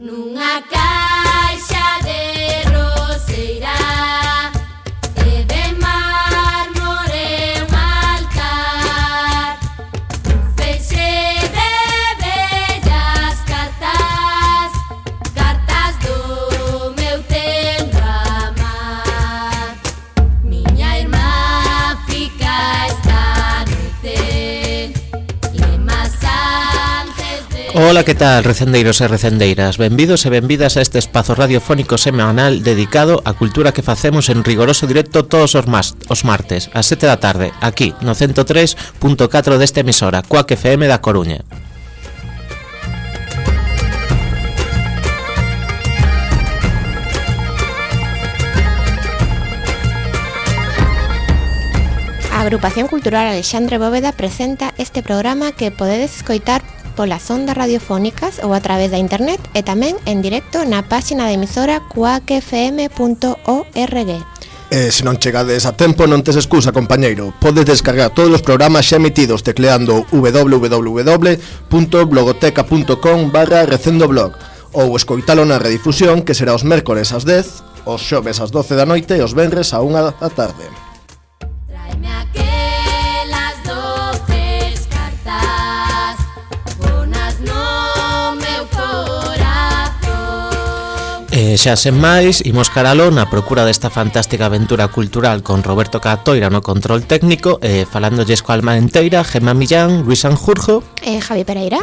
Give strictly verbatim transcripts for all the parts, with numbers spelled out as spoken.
Nunha caixa de roseira e de mármore un altar, un feixe de bellas cartas, cartas do meu tempo amar. Miña irmá fica esta noite lemas antes de... Ola, que tal, recendeiros e recendeiras? Benvidos e benvidas a este espazo radiofónico semanal dedicado á cultura que facemos en rigoroso directo todos os, mas, os martes, ás sete da tarde, aquí, no ciento tres punto catro desta emisora, Cuac F M da Coruña. A Agrupación Cultural Alexandre Bóveda presenta este programa que podedes escoitar polas ondas radiofónicas ou a través da internet e tamén en directo na páxina da emisora cuac f m punto org. E se non chegades a tempo non tes excusa, compañeiro. Podes descargar todos os programas xa emitidos tecleando w w w punto blogoteca punto com barra recendoblog ou escoitalo na redifusión, que será os mércores ás dez, os xoves ás doce da noite e os venres á unha da tarde. E xa sen máis, imos caralo na procura desta fantástica aventura cultural con Roberto Catoira no control técnico e falándolles coa alma enteira, Gemma Millán, Luis Sanjurjo e Javi Pereira.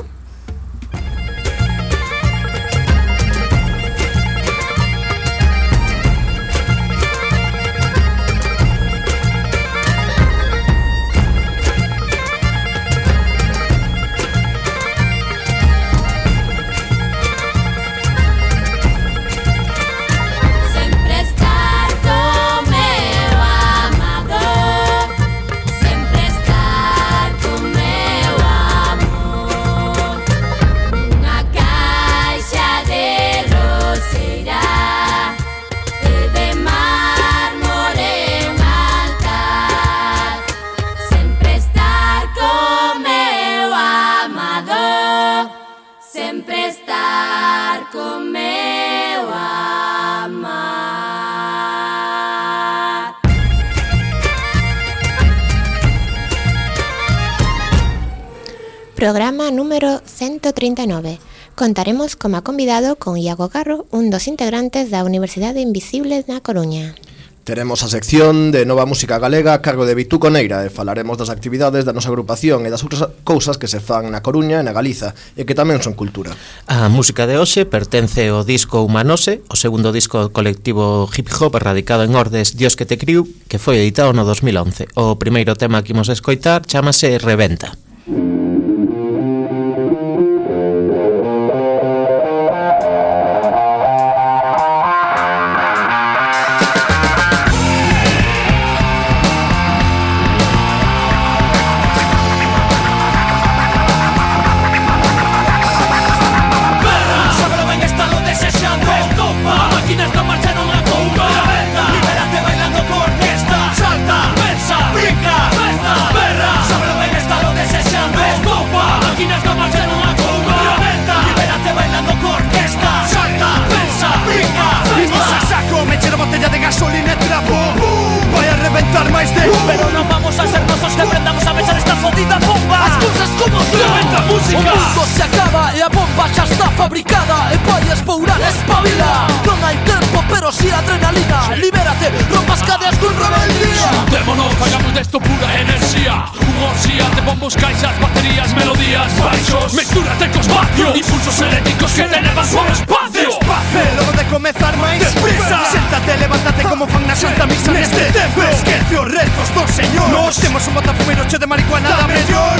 Programa número ciento treinta y nueve. Contaremos como convidado con Iago Garro, un dos integrantes da Universidade Invisibles na Coruña. Teremos a sección de Nova Música Galega a cargo de Bitú Coneira e falaremos das actividades da nosa agrupación e das outras cousas que se fan na Coruña e na Galiza e que tamén son cultura. A música de hoxe pertence ao disco Humanose, o segundo disco colectivo hip hop radicado en Ordes, Dios que te criu, que foi editado no dos mil once. O primeiro tema que imos escoitar chámase Reventa. Gasolina e trapo, uh, vai a reventar máis de uh, pero non vamos a ser nosos que aprendamos a mechar esta fodida bomba. As cousas como son, reventa música. O mundo se acaba e a bomba xa está fabricada e vai espourar, espabila. Non hai tempo, pero si adrenalina. Libérate, rompas cadeas con rebeldía. Xuntémonos, fagamos desto pura enerxía. Unha orxía de bombos, caixas, baterías, melodías, baixos. Mestúrate cos vatios, impulsos eléctricos que te levan por espacio. Despacio, logo de comezar máis deprisa. Séntate, levántate como fan na Santa Misa neste templo. Esquece os rezos do Señor. Nos temos un botafumeiro che de marihuana da mellor.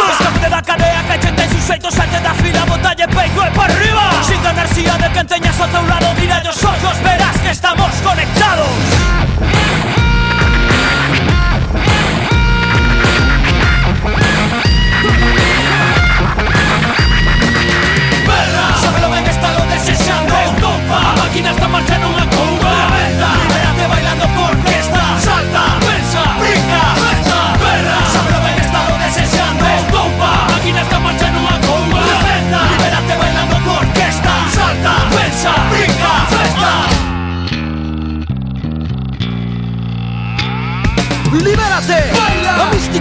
Escape da cadea que che ten suxeitos ante da fila. Botalle peito e para arriba. Sin enerxía de que teñas ao teu lado. Mira os ollos, verás que estamos conectados. Sábelo ben, está lo desexando. A máquina está marchando unha couba. Libérate bailando por orquesta. Salta, pensa, brinca, pensa, berra. Sábelo ben, está lo desexando. A máquina está marchando unha couba. Libérate bailando por orquesta. Salta.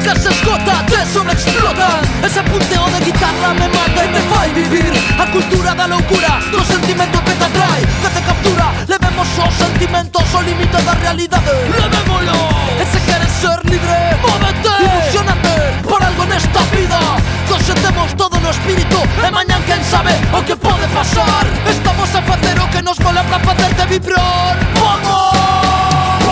nunca se esgota, te sobreexplotan. Ese punteo de guitarra me mata e me fai vivir a cultura da loucura, do sentimento que te atrae, que te captura. Levemos os sentimentos ao límite da realidade. Levémolo. E se queres ser libre, móvete, ilusionate por algo nesta vida. Hoxe temos todo no espírito e mañan quen sabe o que pode pasar. Estamos a facer o que nos mola pra facerte vibrar. Vamos!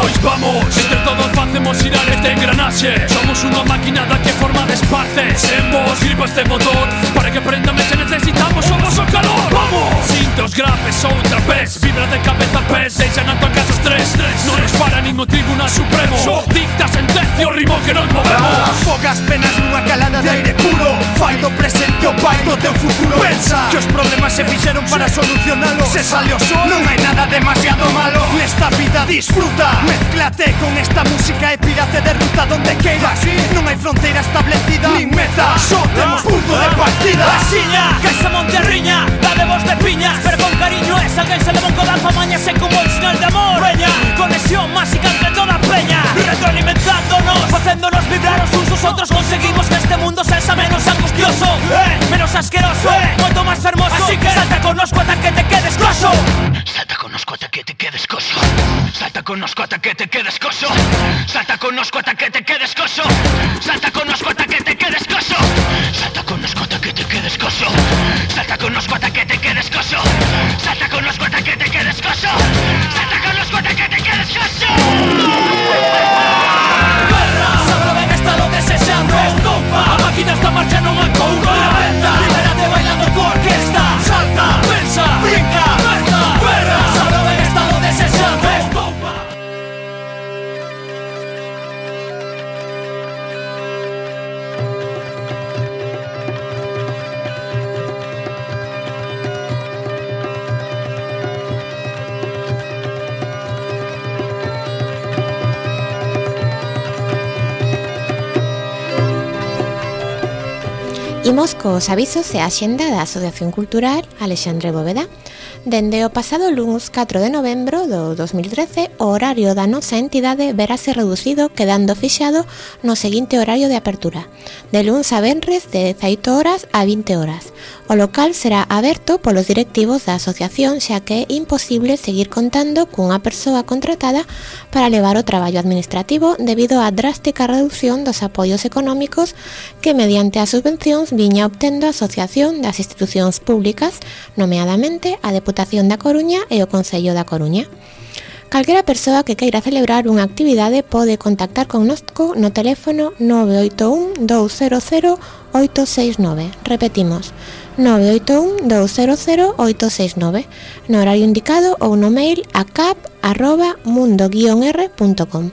Pois vamos, entre todos facemos girar este engranaxe. Somos unha maquinada que forma despace. Sen vos gripa este motor para que prendame se necesitamos o vosso calor. Vamos! Cintos, grapes ou trapés, vibra de cabeza a pés, deixan a tua casa estrés. Non nos para nin o Tribunal Supremo, dicta sentencia o ritmo que nos movemos. Fogas penas nunha calada de aire puro, fai do presente o pai do teu futuro. Pensa que os problemas se fixeron para solucionalo. Se sale o sol, non hai nada demasiado malo. Nesta vida disfruta, mezclate con esta música e pírate de ruta donde queiras. Non hai fronteira establecida, nin meta, só temos punto de partida. Asiña, que esa monte riña, dade vos de piñas, pero con cariño es alguén se levou co dalfa mañase como el sinal de amor. Veña, conexión máxica entre toda a peña, retroalimentándonos, facéndonos vibrar os uns os outros. Conseguimos que este mundo sexa menos angustioso, eh, menos asqueroso, eh, moito máis fermoso. Así que salta connosco ata que te quedes coso. Salta connosco ata que te quedes coso. Salta connosco ata que te quedes coso. Salta connosco ata que te quedes coso. Salta connosco ata que te quedes coso. Salta connosco ata que te quedes coso. Salta connosco ata que te quedes coso. Salta connosco ata que te quedes coso. Salta connosco ata que te quedes coso. Guerra, sabro ben estado desexando. Estompa, a máquina está marchando moi couro. Libérate bailando tu orquesta. Salta, pensa, brinca, guerra. Guerra, sabro ben estado desexando. Estompa. Imos cos avisos e a xenda da Asociación Cultural Alexandre Bóveda. Dende o pasado luns catro de novembro do dos mil trece, o horario da nosa entidade verase reducido, quedando fixado no seguinte horario de apertura, de luns a venres de dezaoito horas a vinte horas. O local será aberto polos directivos da asociación, xa que é imposible seguir contando cunha persoa contratada para levar o traballo administrativo debido á drástica reducción dos apoios económicos que mediante as subvencións viña obtendo a Asociación das Institucións Públicas, nomeadamente a Deputación da Coruña e o Concello da Coruña. Calquera persoa que queira celebrar unha actividade pode contactar connosco no teléfono nove oito un, dous cero cero, oito seis nove. Repetimos, nove oito un, dous cero cero, oito seis nove, no horario indicado ou no mail a cap arroba mundo guion r punto com.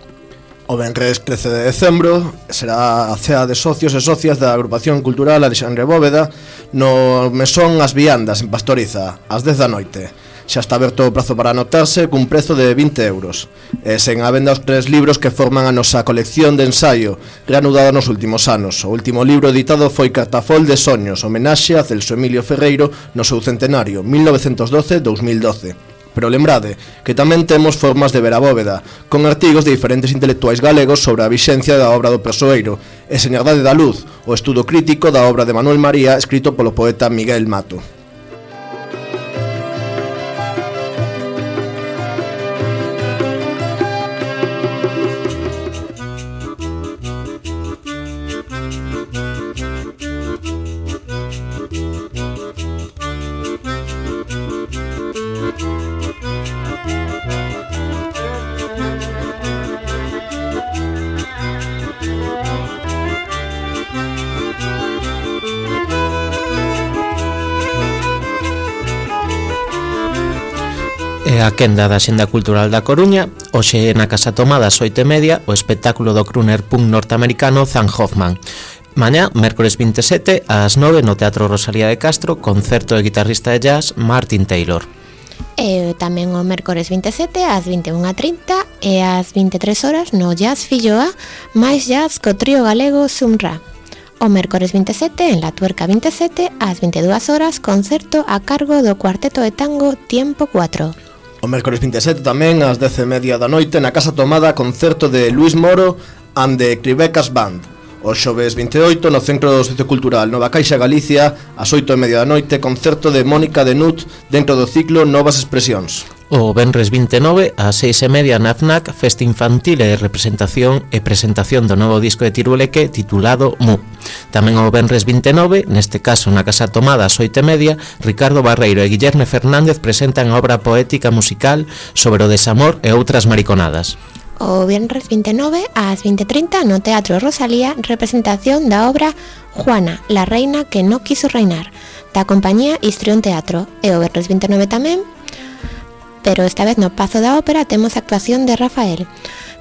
O venres trece de decembro será a cea de socios e socias da Agrupación Cultural Alexandre Bóveda no Mesón As Viandas en Pastoriza, ás dez da noite. Xa está aberto o prazo para anotarse cun prezo de vinte euros. E sen a venda os tres libros que forman a nosa colección de ensaio, reanudada nos últimos anos. O último libro editado foi Cartafol de Soños, homenaxe a Celso Emilio Ferreiro no seu centenario, mil novecentos doce a dous mil doce. Pero lembrade que tamén temos formas de ver a bóveda, con artigos de diferentes intelectuais galegos sobre a vixencia da obra do persoeiro, e Señardade da Luz, o estudo crítico da obra de Manuel María, escrito polo poeta Miguel Mato. E a quenda da Xenda Cultural da Coruña, hoxe na Casa Tomada ás oito e media, o espectáculo do crooner punk norteamericano Zan Hoffman. Mañá, mércores vinte e sete, ás nove no Teatro Rosalía de Castro, concerto de guitarrista de jazz Martin Taylor. E tamén o mércores vinte e sete ás vinte e unha e trinta e ás vinte e tres horas no Jazz Filloa, máis jazz co trío galego Sumra. O mércores vinte e sete en La Tuerca vinte e sete ás vinte e dúas horas, concerto a cargo do cuarteto de tango Tiempo cuatro. O mércores vinte e sete tamén ás dez e media da noite na Casa Tomada, concerto de Luis Moro and the Cribecas Band. O xoves vinte e oito, no Centro Sociocultural Nova Caixa Galicia, ás oito e media da noite, concerto de Mónica de Nut dentro do ciclo Novas Expresións. O venres vinte e nove, ás seis e media na F N A C, festa infantil e representación e presentación do novo disco de Tiruleque titulado Mu. Tamén o venres vinte e nove, neste caso na Casa Tomada ás oito e media, Ricardo Barreiro e Guillerme Fernández presentan a obra poética musical sobre o desamor e outras mariconadas. O venres vinte e nove, ás vinte e trinta, no Teatro Rosalía, representación da obra Juana, la reina que no quiso reinar, da compañía Histrión Teatro. E o venres vinte e nove tamén, pero esta vez no Pazo da Ópera, temos a actuación de Rafael,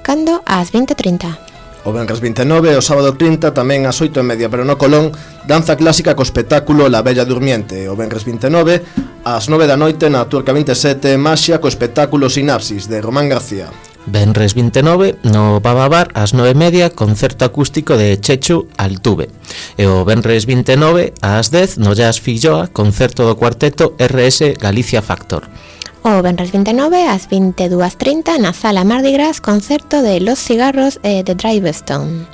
cando ás vinte e trinta. O venres vinte e nove, o sábado trinta, tamén ás oito e media, pero no Colón, danza clásica co espectáculo La Bella Durmiente. O venres vinte e nove, ás nove da noite, na Turca vinte e sete, Maxia co espectáculo Sinapsis, de Román García. Venres vinte e nove, no Bababar, ás nove e media, concerto acústico de Chechu Altuve. E o venres vinte e nove, ás dez, no Jazz Filloa, concerto do cuarteto R S Galicia Factor. O venres vinte e nove, ás vinte e dúas e trinta, na Sala Mardi Gras, concerto de Los Cigarros e de Drivestone.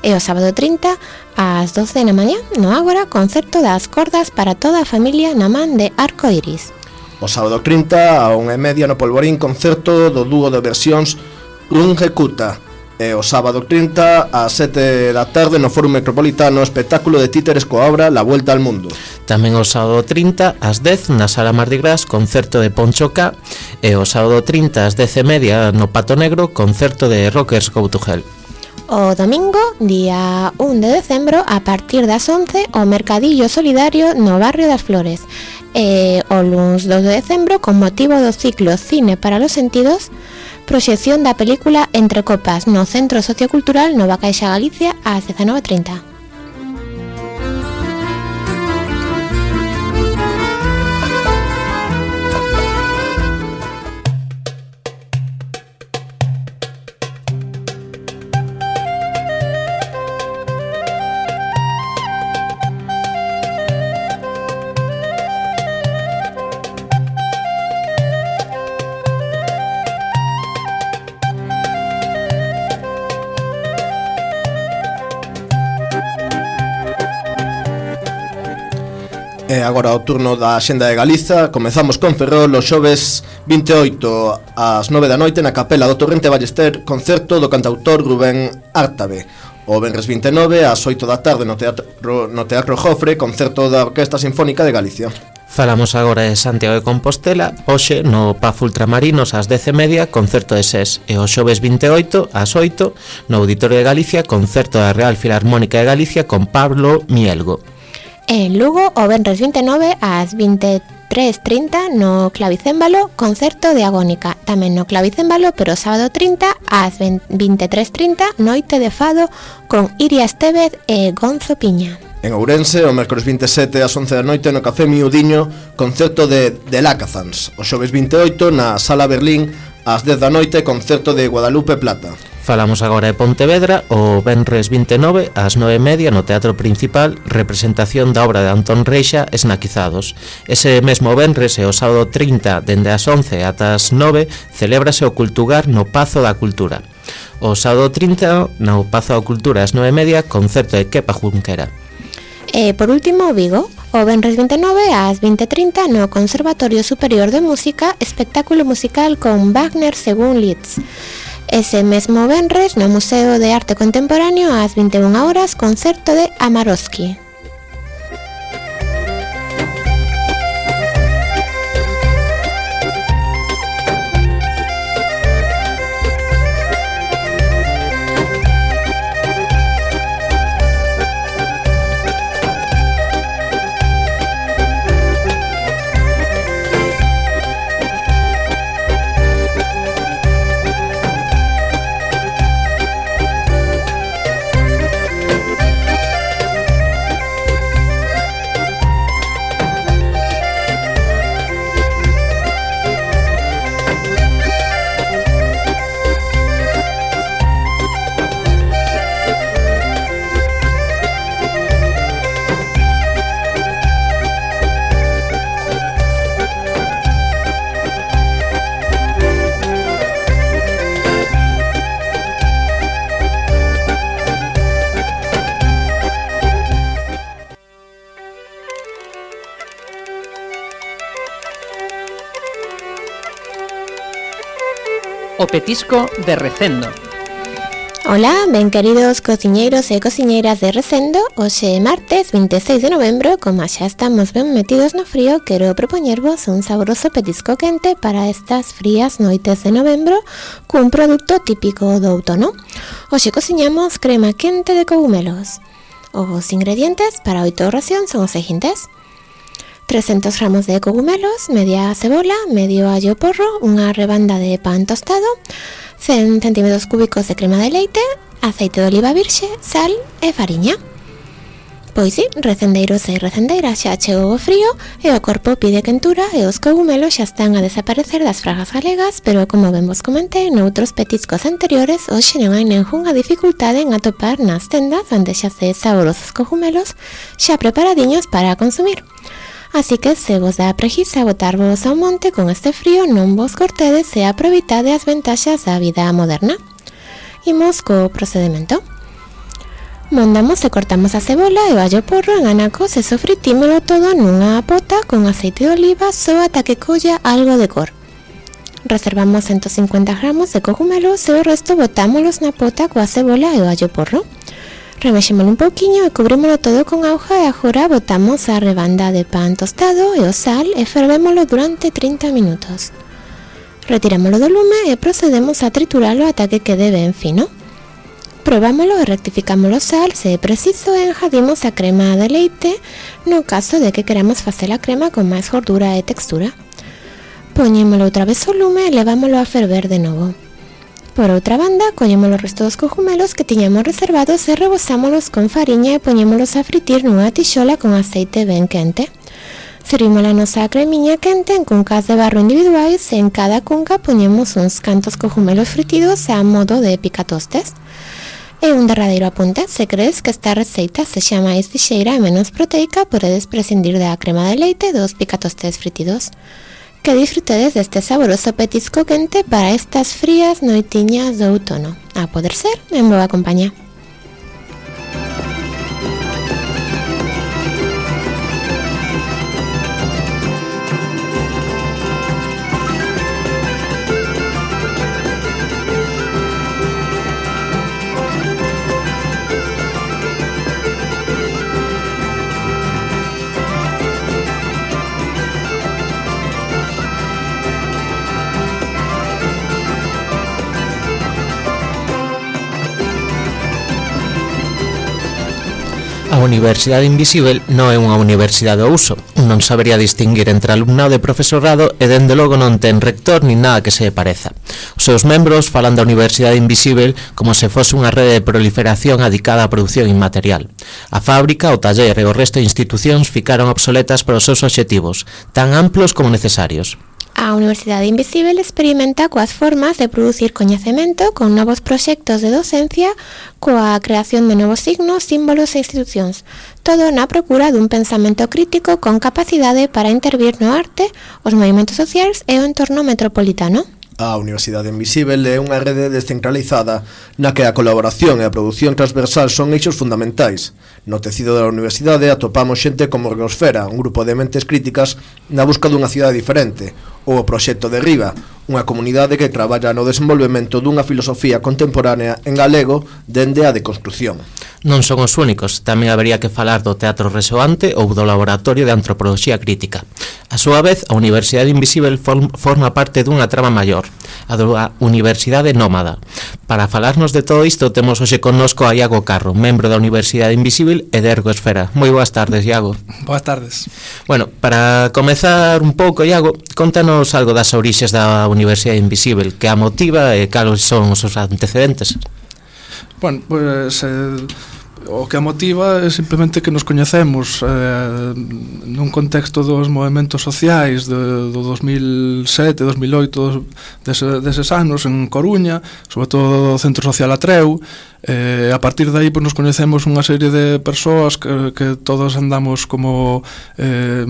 E o sábado trinta, ás doce da mañá, no Ágora, concerto das cordas para toda a familia na man de Arco Iris. O sábado trinta, a unha e media, no Polvorín, concerto do dúo de versións Rungecuta. E o sábado trinta, ás sete da tarde, no Fórum Metropolitano, espectáculo de títeres coa obra La Vuelta al Mundo. Tamén o sábado trinta, ás dez, na Sala Mardi Gras, concerto de Poncho K. E o sábado trinta, ás dez e media, no Pato Negro, concerto de Rockers Go to Hell. O domingo, día un de decembro, a partir das once, o Mercadillo Solidario no Barrio das Flores. E o luns dos de decembro, con motivo do ciclo Cine para los Sentidos, proxección da película Entre Copas no Centro Sociocultural Nova Caixa Galicia ás dezanove e trinta. E agora o turno da Axenda de Galiza. Comezamos con Ferrol os xoves vinte e oito ás nove da noite na Capela do Torrente Ballester, concerto do cantautor Rubén Ártabe. O venres vinte e nove ás oito da tarde no Teatro, no Teatro Jofre, concerto da Orquesta Sinfónica de Galicia. Falamos agora de Santiago de Compostela. Hoxe no Paz Ultramarinos ás dez e media, concerto de SES. E o xoves vinte e oito ás oito no Auditorio de Galicia, concerto da Real Filarmónica de Galicia con Pablo Mielgo. En Lugo, o venres vinte e nove ás vinte e tres e trinta no Clavicémbalo, concerto de Agónica. Tamén no Clavicémbalo, pero sábado trinta ás vinte e tres e trinta, noite de fado con Iria Estevez e Gonzo Piña. En Ourense, o mércores vinte e sete ás once da noite no Café Miudiño, concerto de The Lacazans. O xoves vinte e oito na Sala Berlín ás dez da noite, concerto de Guadalupe Plata. Falamos agora de Pontevedra. O venres vinte e nove ás nove e media no Teatro Principal, representación da obra de Antón Reixa, Esnaquizados. Ese mesmo venres e o sábado trinta, dende as once ata as nove, celébrase o Cultugar no Pazo da Cultura. O sábado trinta, no Pazo da Cultura ás nove e media, concerto de Kepa Junquera. E por último, Vigo, o venres vinte e nove ás vinte e trinta no Conservatorio Superior de Música, espectáculo musical con Wagner según Liszt. Ese mesmo venres no Museo de Arte Contemporáneo ás vinte e unha horas, concerto de Amarovsky. o petisco de Recendo. Ola, ben queridos cociñeiros e cociñeiras de Recendo. Hoxe é martes vinte e seis de novembro. Como xa estamos ben metidos no frío, quero propoñervos un saboroso petisco quente para estas frías noites de novembro cun produto típico do outono. Hoxe cociñamos crema quente de cogumelos. Os ingredientes para oito racións son os seguintes: trescentos gramos de cogumelos, media cebola, medio allo porro, unha rebanda de pan tostado, cen centímetros cúbicos de crema de leite, aceite de oliva virxe, sal e fariña. Pois si, recendeiros e recendeiras, xa chegou o frío e o corpo pide quentura e os cogumelos xa están a desaparecer das fragas galegas, pero como ben vos comentei noutros petiscos anteriores, hoxe non hai nengunha dificultade en atopar nas tendas bandexas de saborosos cogumelos xa preparadiños para consumir. Así que se vos dá preguiza botarvos ao monte con este frío, non vos cortedes e aproveitade as ventaxas da vida moderna. Imos co procedimento. Mondamos e cortamos a cebola e o allo porro en anacos e sofritímolo todo nunha pota con aceite de oliva só ata que colla algo de cor. Reservamos ciento cincuenta gramos de cogumelos e o resto botámolos na pota coa cebola e o allo porro. Remexémolo un pouquiño e cubrímolo todo con auga e agora botamos a rebanda de pan tostado e o sal e fervémolo durante trinta minutos. Retirámolo do lume e procedemos a trituralo ata que quede ben fino. Probámolo e rectificámolo sal se é preciso e enjadimos a crema de leite no caso de que queramos facer a crema con máis gordura e textura. Poñémolo outra vez ao lume e levámolo a ferver de novo. Por outra banda, collemos os restos dos cogumelos que tiñamos reservados e rebosámolos con fariña e poñémolos a fritir nunha tixola con aceite ben quente. Servimos a nosa cremiña quente en cuncas de barro individuais e en cada cunca poñemos uns cantos cogumelos fritidos a modo de picatostes. E un derradeiro apunte: se crees que esta receita sexa máis lixeira e menos proteica, podedes prescindir da crema de leite e dos picatostes fritidos. Que disfrutedes deste saboroso petisco quente para estas frías noitiñas do outono. A poder ser en boa compañía. A Universidade Invisíbel non é unha universidade ao uso, non sabería distinguir entre alumnado e profesorado e dende logo non ten rector nin nada que se pareza. Os seus membros falan da Universidade Invisíbel como se fose unha rede de proliferación adicada á produción inmaterial. A fábrica, o taller e o resto de institucións ficaron obsoletas para os seus obxectivos, tan amplos como necesarios. A Universidade Invisíbel experimenta coas formas de producir coñecemento con novos proxectos de docencia, coa creación de novos signos, símbolos e institucións, todo na procura dun pensamento crítico con capacidade para intervir no arte, os movimentos sociais e o entorno metropolitano. A Universidade Invisíbel é unha rede descentralizada na que a colaboración e a produción transversal son eixos fundamentais. No tecido da universidade atopamos xente como Riosfera, un grupo de mentes críticas na busca dunha cidade diferente, ou o Proxecto de Riba, unha comunidade que traballa no desenvolvemento dunha filosofía contemporánea en galego dende a deconstrucción. Non son os únicos, tamén habería que falar do Teatro Resoante ou do Laboratorio de Antropoloxía Crítica. A súa vez, a Universidade Invisíbel forma parte dunha trama maior, a da Universidade Nómada. Para falarnos de todo isto, temos hoxe connosco a Iago Carro, membro da Universidade Invisíbel e de Ergoesfera. Moi boas tardes, Iago. Boas tardes. Bueno, para comezar un pouco, Iago, contanos algo das orixes da Universidade Invisíbel, que a motiva e cales son os seus antecedentes. Bueno, pues eh, o que a motiva é simplemente que nos coñecemos eh, nun contexto dos movimentos sociais de, do dos mil sete, dos mil oito, dese, deses anos en Coruña, sobre todo do Centro Social Atreu. Eh, a partir de aí pues, nos coñecemos unha serie de persoas que, que todos andamos como eh,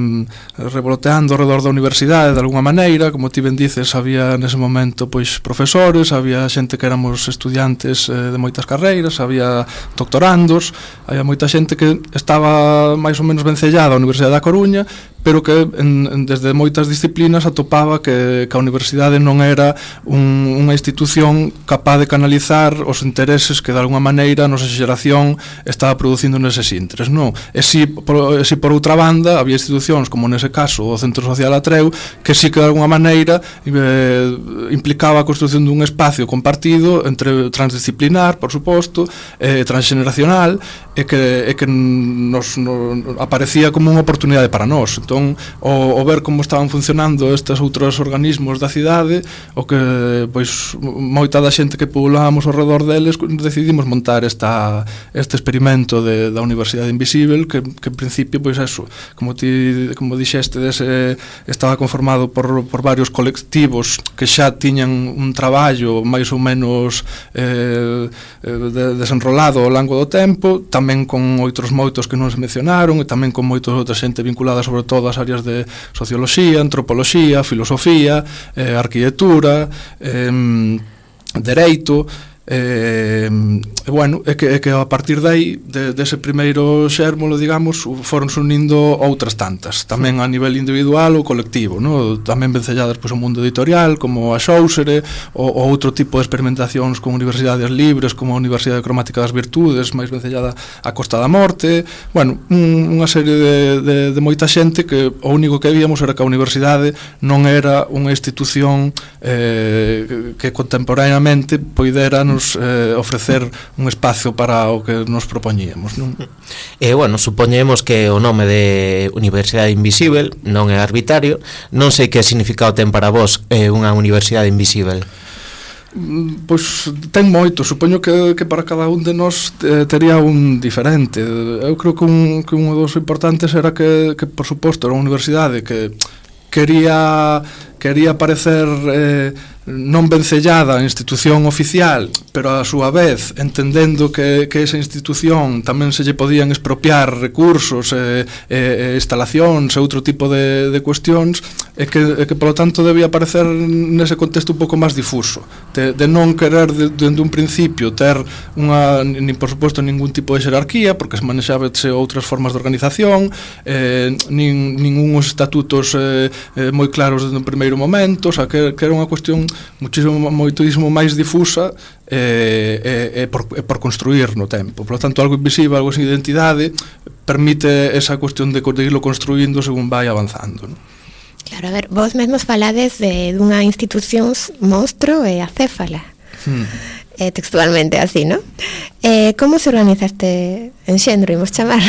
revoloteando ao redor da universidade de alguna maneira. Como ti ben dices, había nese momento pois profesores, había xente que éramos estudiantes eh, de moitas carreiras, había doctorandos, había moita xente que estaba máis ou menos vencellada á Universidade da Coruña, pero que en, en, desde moitas disciplinas atopaba que, que a universidade non era un, unha institución capaz de canalizar os intereses que de alguna maneira a nosa xeración estaba producindo neses intres, non? E si por, e si por outra banda había institucións como nese caso o Centro Social Atreu que si que de alguna maneira eh, implicaba a construción dun espacio compartido entre transdisciplinar, por suposto, eh, transgeneracional e que, e que nos, nos aparecía como unha oportunidade para nós. Entón, o, o ver como estaban funcionando estes outros organismos da cidade, o que pois moita da xente que pobolábamos ao redor deles decidimos montar esta, este experimento de, da Universidade Invisível, que, que en principio, pois eso, como ti como dixeste, dese, estaba conformado por, por varios colectivos que xa tiñan un traballo máis ou menos eh, de, desenrolado ao longo do tempo, tamén con outros moitos que non se mencionaron, e tamén con moitos outra xente vinculada sobre todo ás áreas de socioloxía, antropoloxía, filosofía, eh, arquitectura, eh, dereito, e, e bueno, é que, é que a partir de aí, de, dese primeiro xérmolo, digamos, foron unindo outras tantas, tamén a nivel individual ou colectivo, no? Tamén vencelladas pois, o mundo editorial, como a Xóusere, ou, ou outro tipo de experimentacións con universidades libres, como a Universidade Cromática das Virtudes, máis vencellada a Costa da Morte, bueno, un, unha serie de, de, de moita xente que o único que víamos era que a universidade non era unha institución eh, que contemporaneamente poidera Eh, ofrecer un espacio para o que nos propoñíamos, non? E, bueno, supoñemos que o nome de Universidade Invisível non é arbitrario. Non sei que significado ten para vos eh, unha Universidade Invisível. Pois ten moito, supoño que, que para cada un de nós eh, tería un diferente. Eu creo que un, que un dos importantes era que, que por suposto, era unha universidade que quería quería parecer eh, non vencellada a institución oficial, pero a súa vez entendendo que, que esa institución tamén se lle podían expropiar recursos e, e, e instalacións e outro tipo de, de cuestións, e que, e que polo tanto debía parecer nese contexto un pouco máis difuso, de, de non querer dende de un principio ter unha, nin por suposto ningún tipo de xerarquía, porque se manexábase outras formas de organización, eh, nin, nin uns estatutos eh, eh, moi claros desde o primeiro momento, o sea, que, que era unha cuestión muchísimo, moitísimo máis difusa e, e, e, por, e por construir no tempo. Por lo tanto, algo invisible, algo sin identidade, permite esa cuestión de, de irlo construindo según vai avanzando, ¿no? Claro, a ver, vos mesmos falades de dunha institución monstro e acéfala. Hmm. Eh, textualmente así, ¿no? Eh, como se organiza este enxendro, imos chamar?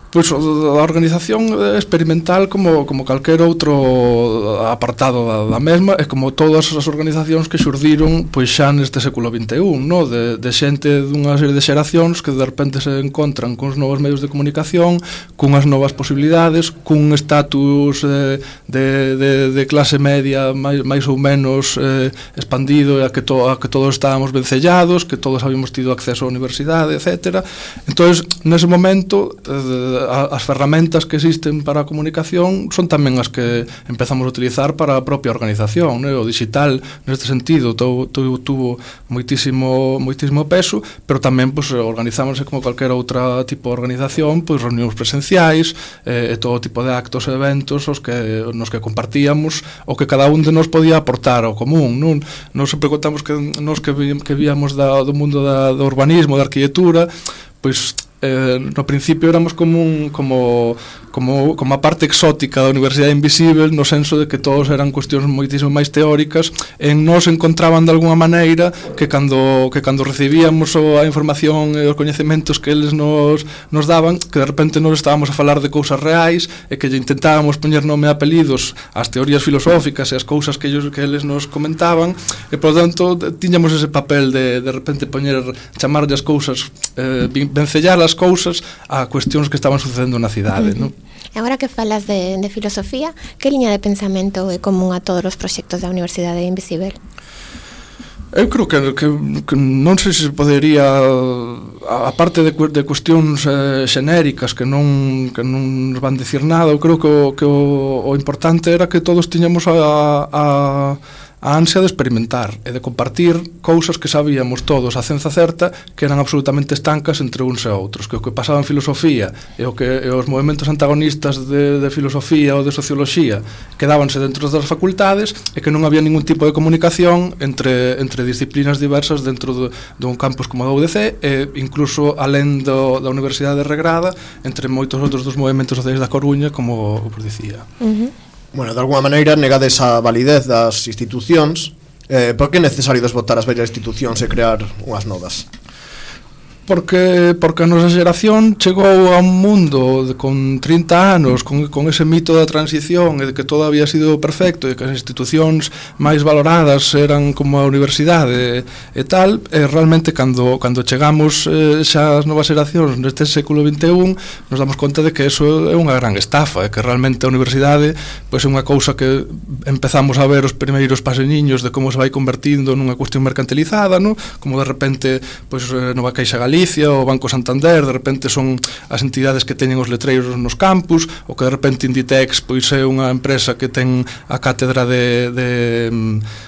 Pois a organización experimental como, como calquer outro apartado da, da mesma, é como todas as organizacións que xurdiron pois xa neste século vinte e un, no? de, de xente dunha serie de xeracións que de repente se encontran con os novos medios de comunicación, cunhas novas posibilidades, cun estatus eh, de, de, de clase media máis, máis ou menos eh, expandido, a que, to, a que todos estábamos vencellados, que todos habíamos tido acceso á universidade, etcétera. Entón, nese momento, eh, as ferramentas que existen para a comunicación son tamén as que empezamos a utilizar para a propia organización, né? O digital neste sentido tuvo, tuvo moitísimo moitísimo peso, pero tamén pues, organizámosse como calquera outra tipo de organización, pois reunións presenciais eh, e todo tipo de actos e eventos os que, nos que compartíamos o que cada un de nos podía aportar ao común, non? Nos sempre contamos que nos que, que víamos da, do mundo da, do urbanismo, da arquitectura, pois eh, no principio éramos como un, como como como a parte exótica da Universidade Invisível, no senso de que todos eran cuestións moitísimo máis teóricas, e nos encontraban de alguna maneira que cando que cando recibíamos a información e os coñecementos que eles nos nos daban, que de repente nos estábamos a falar de cousas reais e que lle intentábamos poñer nome e apelidos ás teorías filosóficas e ás cousas que ellos que eles nos comentaban, e por tanto tiñamos ese papel de de repente poñer chamarlle as cousas, eh, vencellar as cousas a cuestións que estaban sucedendo na cidade, non? Agora que falas de, de filosofía, que liña de pensamento é común a todos os proxectos da Universidade Invisível? Eu creo que, que, que non sei se podería, a parte de, de cuestións eh, xenéricas que non, que non nos van dicir nada, eu creo que o, que o, o importante era que todos tiñamos a, a, a a ansia de experimentar e de compartir cousas que sabíamos todos a cenza certa que eran absolutamente estancas entre uns e outros, que o que pasaba en filosofía e o que e os movementos antagonistas de, de filosofía ou de socioloxía quedábanse dentro das facultades e que non había ningún tipo de comunicación entre, entre disciplinas diversas dentro de, dun campus como a U D C e incluso alén do, da Universidade Regrada entre moitos outros dos movementos sociais da Coruña, como vos dicía. Uh-huh. Bueno, de alguma maneira negades a validez das institucións. eh, Por que é necesario desbotar as vellas institucións e crear unhas novas? Porque, porque a nosa xeración chegou a un mundo de, con trinta anos con, con ese mito da transición e de que todo había sido perfecto e que as institucións máis valoradas eran como a universidade e, e tal, e realmente cando, cando chegamos eh, xa as novas xeracións neste século vinte e un nos damos conta de que eso é unha gran estafa e que realmente a universidade pois, é unha cousa que empezamos a ver os primeiros paseñiños de como se vai convertindo nunha cuestión mercantilizada, no? Como de repente pois, Nova Caixa Galicia, o Banco Santander, de repente son as entidades que teñen os letreiros nos campus, ou que de repente Inditex pois é unha empresa que ten a cátedra de, de,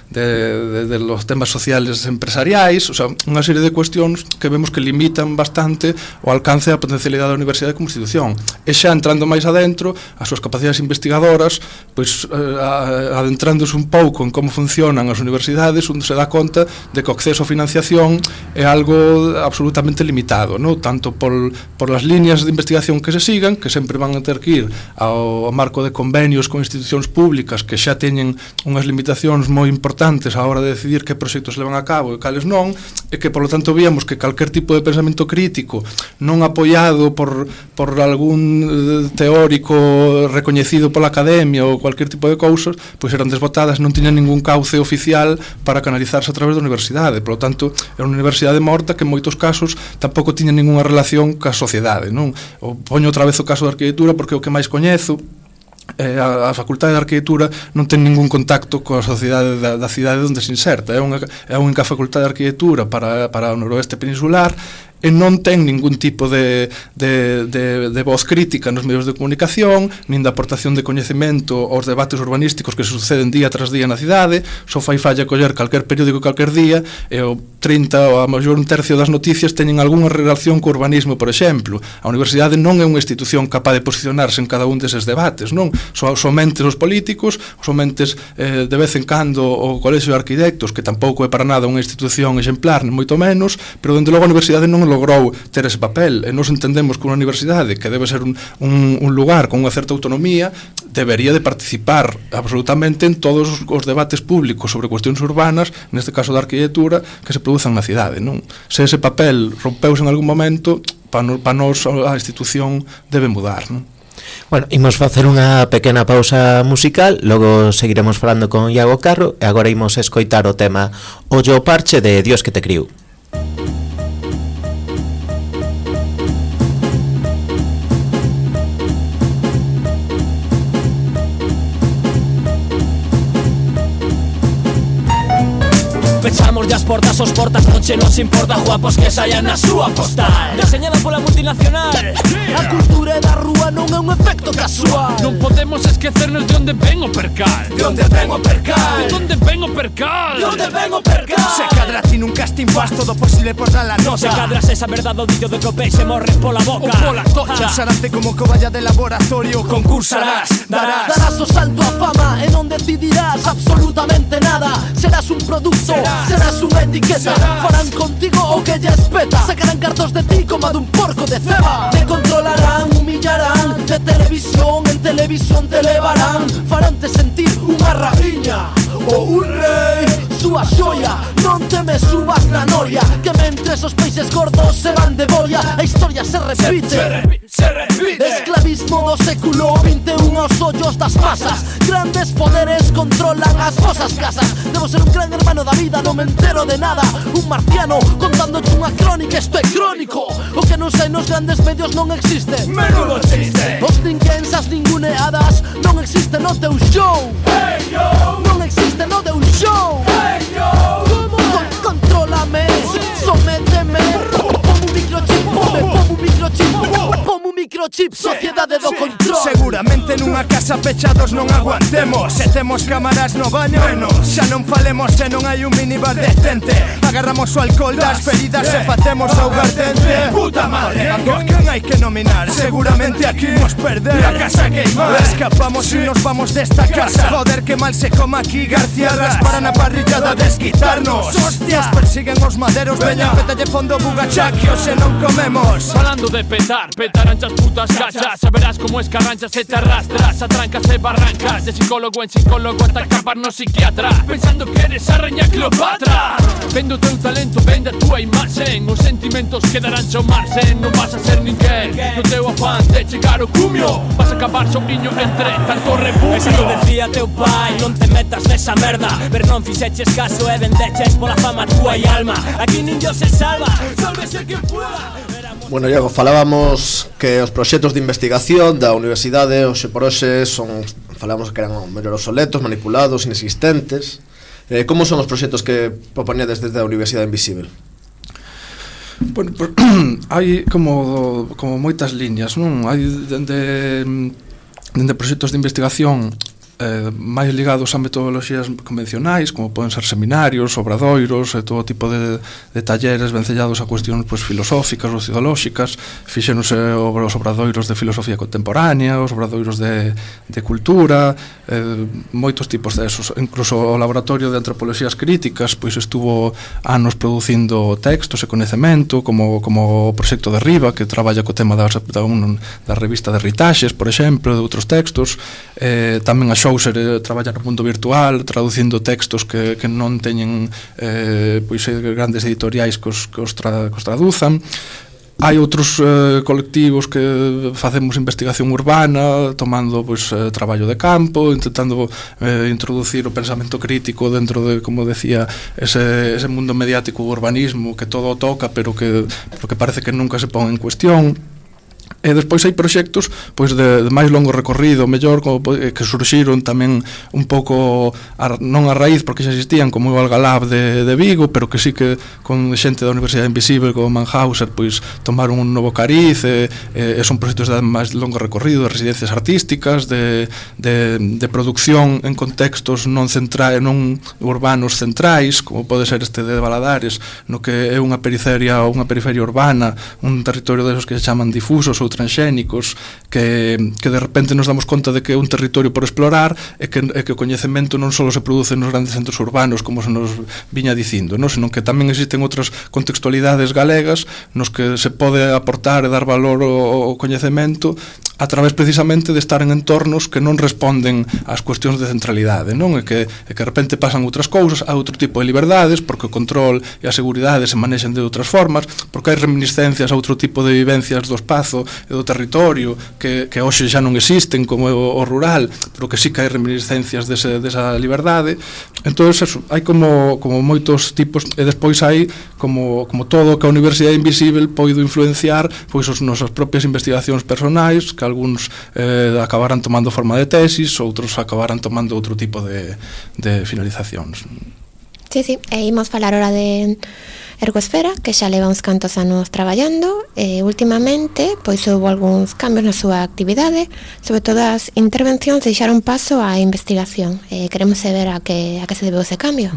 de, de, de los temas sociales empresariais, o sea, unha serie de cuestións que vemos que limitan bastante o alcance da potencialidade da universidade como institución. E xa entrando máis adentro, as súas capacidades investigadoras, pois eh, adentrándose un pouco en como funcionan as universidades, onde se dá conta de que o acceso a financiación é algo absolutamente limitado, ¿no? Tanto por, por las líneas de investigación que se sigan, que sempre van a ter que ir ao, ao marco de convenios con institucións públicas que xa teñen unhas limitacións moi importantes a hora de decidir que proxectos se levan a cabo e cales non, e que, por lo tanto, víamos que calquer tipo de pensamento crítico non apoiado por, por algún teórico recoñecido pola academia ou cualquier tipo de cousas, pois eran desbotadas, non tiñan ningún cauce oficial para canalizarse a través da universidade. Por lo tanto, era unha universidade morta que en moitos casos tampouco tiña ninguna relación ca sociedade, non? O poño outra vez o caso da arquitectura porque é o que máis coñezo. Eh, a, a Facultade de Arquitectura non ten ningún contacto coa sociedade da, da cidade onde se inserta. É unha, é a única Facultade de Arquitectura para, para o noroeste peninsular e non ten ningún tipo de, de, de, de voz crítica nos medios de comunicación, nin da aportación de coñecemento aos debates urbanísticos que se suceden día tras día na cidade. Só fai falla coller calquer periódico calquer día e o trinta ou a maior un tercio das noticias teñen algunha relación co urbanismo, por exemplo. A universidade non é unha institución capaz de posicionarse en cada un deses debates, non? So, somente os políticos, somente eh, de vez en cando o Colexio de Arquitectos, que tampouco é para nada unha institución exemplar, nem moito menos, pero dende logo a universidade non logrou ter ese papel, e nos entendemos que unha universidade que debe ser un, un, un lugar con unha certa autonomía debería de participar absolutamente en todos os debates públicos sobre cuestións urbanas, neste caso da arquitectura, que se produzan na cidade, non? Se ese papel rompeuse en algún momento, para pa nos a institución debe mudar, non? Bueno, imos facer unha pequena pausa musical, logo seguiremos falando con Iago Carro e agora imos escoitar o tema Ollo Parche de Dios que te criou. Pechamos as portas, os portas non che nos importa, guapos que saian na súa postal deseñada pola multinacional. A cultura da rúa non é un efecto casual. Non podemos esquecernos de onde ven o percal. De onde ven o percal. De onde ven o percal. De onde ven o percal. Se cadra ti nun casting faz todo posible por dar la nota. Non se cadras esa verdade o dillo de que o peixe morre pola boca ou pola tocha. Usarate como coballa de laboratorio. Concursarás, darás Darás o salto a fama e non decidirás absolutamente nada. Serás un producto, serás unha etiqueta. Farán contigo o que lle espeta. Sacarán cartos de ti como a dun porco de ceba. Te controlarán, humillarán. De televisión en televisión te levarán. Faránte sentir unha rabiña ou un rei. Súa xoia, non te me subas na noria. Que mentres os peixes gordos se van de boia, a historia se repite, se, se, repite, se repite. Esclavismo do século vinte e un aos ollos das masas. Grandes poderes controlan as vosas casas. Debo ser un gran hermano da vida, non me entero de nada. Un marciano contándote unha crónica, isto é crónico. O que non sai nos grandes medios non existe. Menudo chiste. Os ninguéns, ninguneadas non existe no teu show. Hey yo, non existe no teu show. Hey yo, Con contrólame, sométeme. Pon un microchip, ponme, pon un microchip, pon un microchip. microchip, sociedade do control. Seguramente nunha casa pechados non aguantemos. Se temos cámaras no baño, menos. Xa non falemos se non hai un minibar decente. Agarramos o alcohol das feridas e facemos augardente. Puta madre, a quen hai que nominar? Seguramente aquí nos perder. La casa queimar. Escapamos y nos vamos de esta casa. Joder, que mal se coma aquí. García para na parrillada desquitarnos. Hostias, persiguen os maderos. Veña, pétalle fondo bugachaque, hoxe non comemos. Falando de petar, petarán as putas cachas. Saberás como escarranchas e te arrastras a trancas e barrancas. De psicólogo en psicólogo ata acabar no psiquiatra, pensando que eres a reña Cleopatra. Vendo o teu talento, vende a túa imaxe. Os sentimentos quedarán chomarse. Non vas a ser ninguén no teu afán de chegar ao cumio. Vas a acabar sobriño entre tanto repudio. Eso lo decía teu pai, non te metas nesa merda. Pero non fixeches caso e vendeches pola fama túa e alma. Aquí nin Dios se salva, sálvese quen pueda. Bueno, Diego, falábamos que os proxectos de investigación da universidade hoxe por hoxe son, falamos que eran mellor obsoletos, manipulados, inexistentes. Eh, como son os proxectos que propoñedes desde a Universidade Invisível? Bueno, pues, hai como, como moitas liñas, non? Hai dende, dende proxectos de investigación eh, máis ligados a metodoloxías convencionais, como poden ser seminarios, obradoiros e todo tipo de, de talleres vencellados a cuestións pues, filosóficas ou ideolóxicas. Fixéronse os obradoiros de filosofía contemporánea, os obradoiros de, de cultura, eh, moitos tipos de esos. Incluso o laboratorio de antropoloxías críticas pois estuvo anos producindo textos e coñecemento, como, como o proxecto de Riva, que traballa co tema da, da, un, da revista de Ritaxes, por exemplo, de outros textos. Eh, tamén a Xouser eh, traballa no mundo virtual, traducindo textos que, que non teñen eh, pois, grandes editoriais que os, que os, tra, que os traduzan. Hai outros eh, colectivos que facemos investigación urbana, tomando pois, eh, traballo de campo, intentando eh, introducir o pensamento crítico dentro de, como decía, ese, ese mundo mediático, o urbanismo, que todo toca, pero que, pero que parece que nunca se pon en cuestión. E despois hai proxectos pois de, de máis longo recorrido, mellor, como, que surxiron tamén un pouco a, non a raíz porque xa existían, como o Algalab de, de Vigo, pero que sí que con xente da Universidade Invisível como Mannhauser pois tomaron un novo cariz e, e son proxectos de máis longo recorrido, de residencias artísticas, de, de, de producción en contextos non centrais, non urbanos centrais, como pode ser este de Valadares, no que é unha periferia ou unha periferia urbana, un territorio desos que se chaman difusos ou transxénicos, que, que de repente nos damos conta de que é un territorio por explorar e que, e que o coñecemento non só se produce nos grandes centros urbanos como se nos viña dicindo, non? Senón que tamén existen outras contextualidades galegas nos que se pode aportar e dar valor ao, ao coñecemento a través precisamente de estar en entornos que non responden ás cuestións de centralidade, non? E que, e que de repente pasan outras cousas, a outro tipo de liberdades, porque o control e a seguridade se manexan de outras formas, porque hai reminiscencias a outro tipo de vivencias do espazo e do territorio que, que hoxe xa non existen, como o, o rural, pero que sí que hai reminiscencias dese, desa liberdade. Entón, eso, hai como, como moitos tipos, e despois hai como, como todo que a Universidade Invisível poido influenciar pois as nosas propias investigacións personais, que algúns eh, acabaran tomando forma de tesis, outros acabaran tomando outro tipo de, de finalizacións. Sí, sí, e imos falar ahora de Ergosfera, que xa leva uns cantos anos traballando, e últimamente pois houve algúns cambios na súa actividade, sobre todo as intervencións deixaron paso á investigación. Eh, queremos saber a que, a que se debeu ese cambio.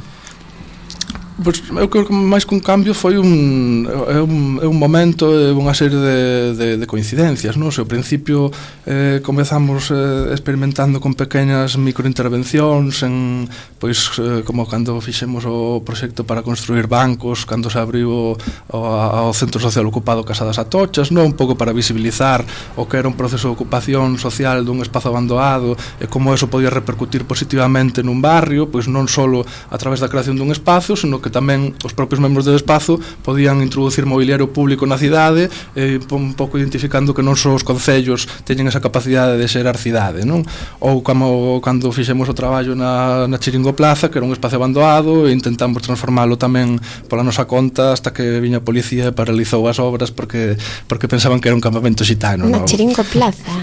Pois, eu creo que máis que un cambio foi un, é un, é un momento, é unha serie de, de, de coincidencias, non? Se ao principio eh, comezamos eh, experimentando con pequenas microintervencións en, pois, eh, como cando fixemos o proxecto para construir bancos, cando se abriu o, o, ao Centro Social Ocupado Casa das Atochas, non? Un pouco para visibilizar o que era un proceso de ocupación social dun espazo abandonado e como eso podía repercutir positivamente nun barrio, pois non só a través da creación dun espazo, senón que tamén os propios membros do espazo podían introducir mobiliario público na cidade, eh, un pouco identificando que non só os concellos teñen esa capacidade de xerar cidade, non? Ou como cando fixemos o traballo na, na Chiringo Plaza, que era un espacio abandonado, e intentamos transformalo tamén pola nosa conta hasta que viña a policía e paralizou as obras porque porque pensaban que era un campamento xitano. Na no? Chiringo Plaza.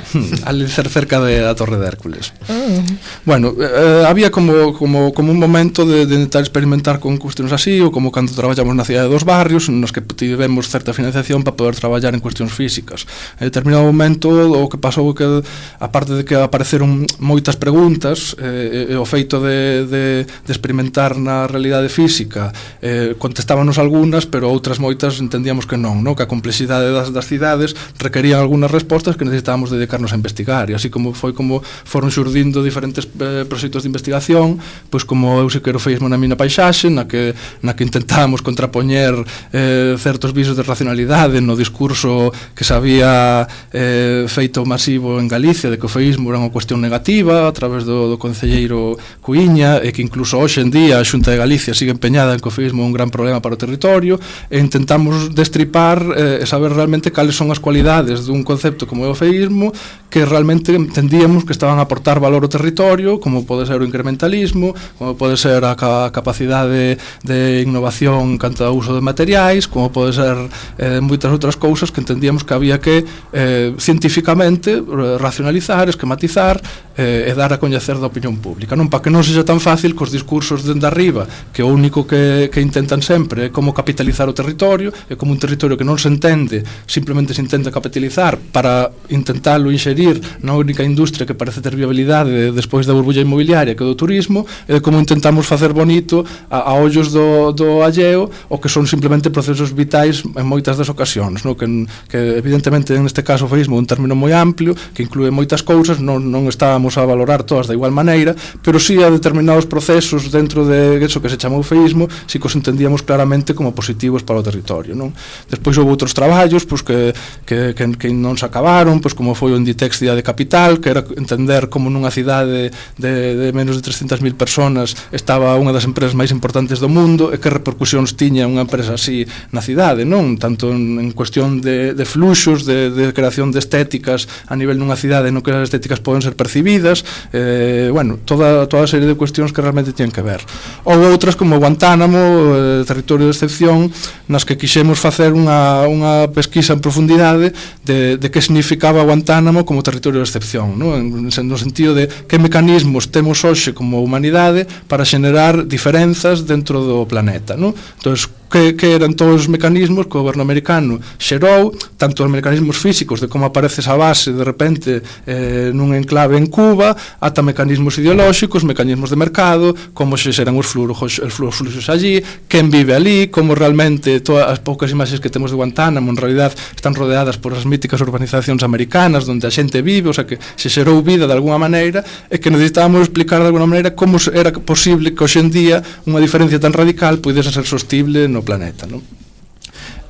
Al ser cerca de a Torre de Hércules. Mm. Bueno, eh, había como, como, como un momento de, de intentar experimentar con cuestiones así, ou como cando traballamos na cidade dos barrios, nos que tivemos certa financiación para poder traballar en cuestións físicas. En determinado momento, o que pasou que, aparte de que apareceron moitas preguntas, eh, e o feito de, de, de experimentar na realidade física, eh, contestábanos algunhas, pero outras moitas entendíamos que non, no? Que a complexidade das, das cidades requerían algunhas respostas que necesitábamos dedicarnos a investigar, e así como foi como foron xurdindo diferentes eh, proxectos de investigación, pois como eu se quero feismo na mina paisaxe, na que, na que intentábamos contrapoñer eh, certos visos de racionalidade no discurso que se había eh, feito masivo en Galicia de que o feísmo era unha cuestión negativa a través do, do concelleiro Cuíña, e que incluso hoxe en día a Xunta de Galicia sigue empeñada en que o feísmo é un gran problema para o territorio, e intentamos destripar eh, e saber realmente cales son as cualidades dun concepto como é o feísmo que realmente entendíamos que estaban a aportar valor ao territorio, como pode ser o incrementalismo, como pode ser a ca capacidade de innovación canto ao uso de materiais, como pode ser eh, moitas outras cousas que entendíamos que había que eh, científicamente racionalizar, esquematizar eh, e dar a coñecer da opinión pública, non para que non sexa tan fácil cos discursos dende arriba, que o único que, que intentan sempre é como capitalizar o territorio, e como un territorio que non se entende, simplemente se intenta capitalizar para intentalo inxerir na única industria que parece ter viabilidade despois da burbulla inmobiliaria que é do turismo, e como intentamos facer bonito a, a ollos do, do alleo o que son simplemente procesos vitais en moitas das ocasións, no? que, que evidentemente neste caso o feísmo é un término moi amplio que inclúe moitas cousas, non, non estábamos a valorar todas da igual maneira, pero sí a determinados procesos dentro de eso que se chamou feísmo si que os entendíamos claramente como positivos para o territorio, non? Despois houve outros traballos pois, que, que, que, que non se acabaron, pois, como foi o Inditex Cidade Capital, que era entender como nunha cidade de, de menos de trescentas mil personas estaba unha das empresas máis importantes do mundo, e que repercusións tiña unha empresa así na cidade, non? Tanto en, en cuestión de, de fluxos, de, de creación de estéticas a nivel nunha cidade no que as estéticas poden ser percibidas, eh, bueno, toda, toda a serie de cuestións que realmente tienen que ver. Ou outras como Guantánamo, eh, territorio de excepción, nas que quixemos facer unha, unha pesquisa en profundidade de, de que significaba Guantánamo como territorio de excepción, ¿no? En, no sentido de que mecanismos temos hoxe como humanidade para xenerar diferenzas dentro do planeta, ¿no? Entonces, que, que eran todos os mecanismos que o goberno americano xerou, tanto os mecanismos físicos de como aparece esa base de repente eh, nun enclave en Cuba, ata mecanismos ideolóxicos, mecanismos de mercado, como se xeran os fluxos, os fluxos allí, quen vive ali, como realmente todas as poucas imaxes que temos de Guantánamo en realidad están rodeadas por as míticas urbanizacións americanas onde a xente vive, o sea que se xerou vida de alguna maneira, e que necesitábamos explicar de alguna maneira como era posible que hoxe en día unha diferencia tan radical pudese ser sostible no planeta, non?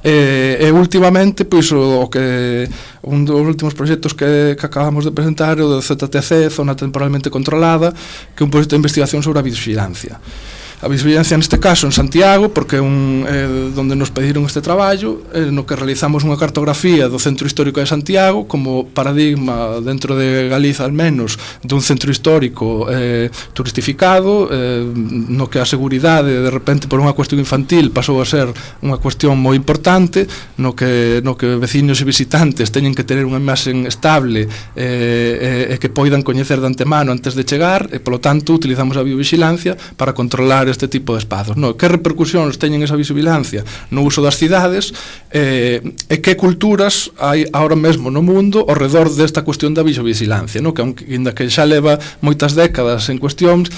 E, e últimamente pois o, o que un dos últimos proxectos que, que acabamos de presentar é o do Z T C, Zona Temporalmente Controlada, que é un proxecto de investigación sobre a videovigilancia. A videovigilancia neste caso en Santiago, porque é un, eh, donde nos pediron este traballo, eh, no que realizamos unha cartografía do Centro Histórico de Santiago como paradigma dentro de Galiza al menos dun centro histórico eh, turistificado, eh, no que a seguridade de repente por unha cuestión infantil pasou a ser unha cuestión moi importante, no que, no que veciños e visitantes teñen que tener unha imaxen estable eh, e, e que poidan coñecer de antemano antes de chegar, e polo tanto utilizamos a videovigilancia para controlar este tipo de espazos, no? Que repercusións teñen esa visibilancia no uso das cidades, eh, e que culturas hai agora mesmo no mundo ao redor desta cuestión da videovigilancia, no? Que aínda que xa leva moitas décadas en cuestións,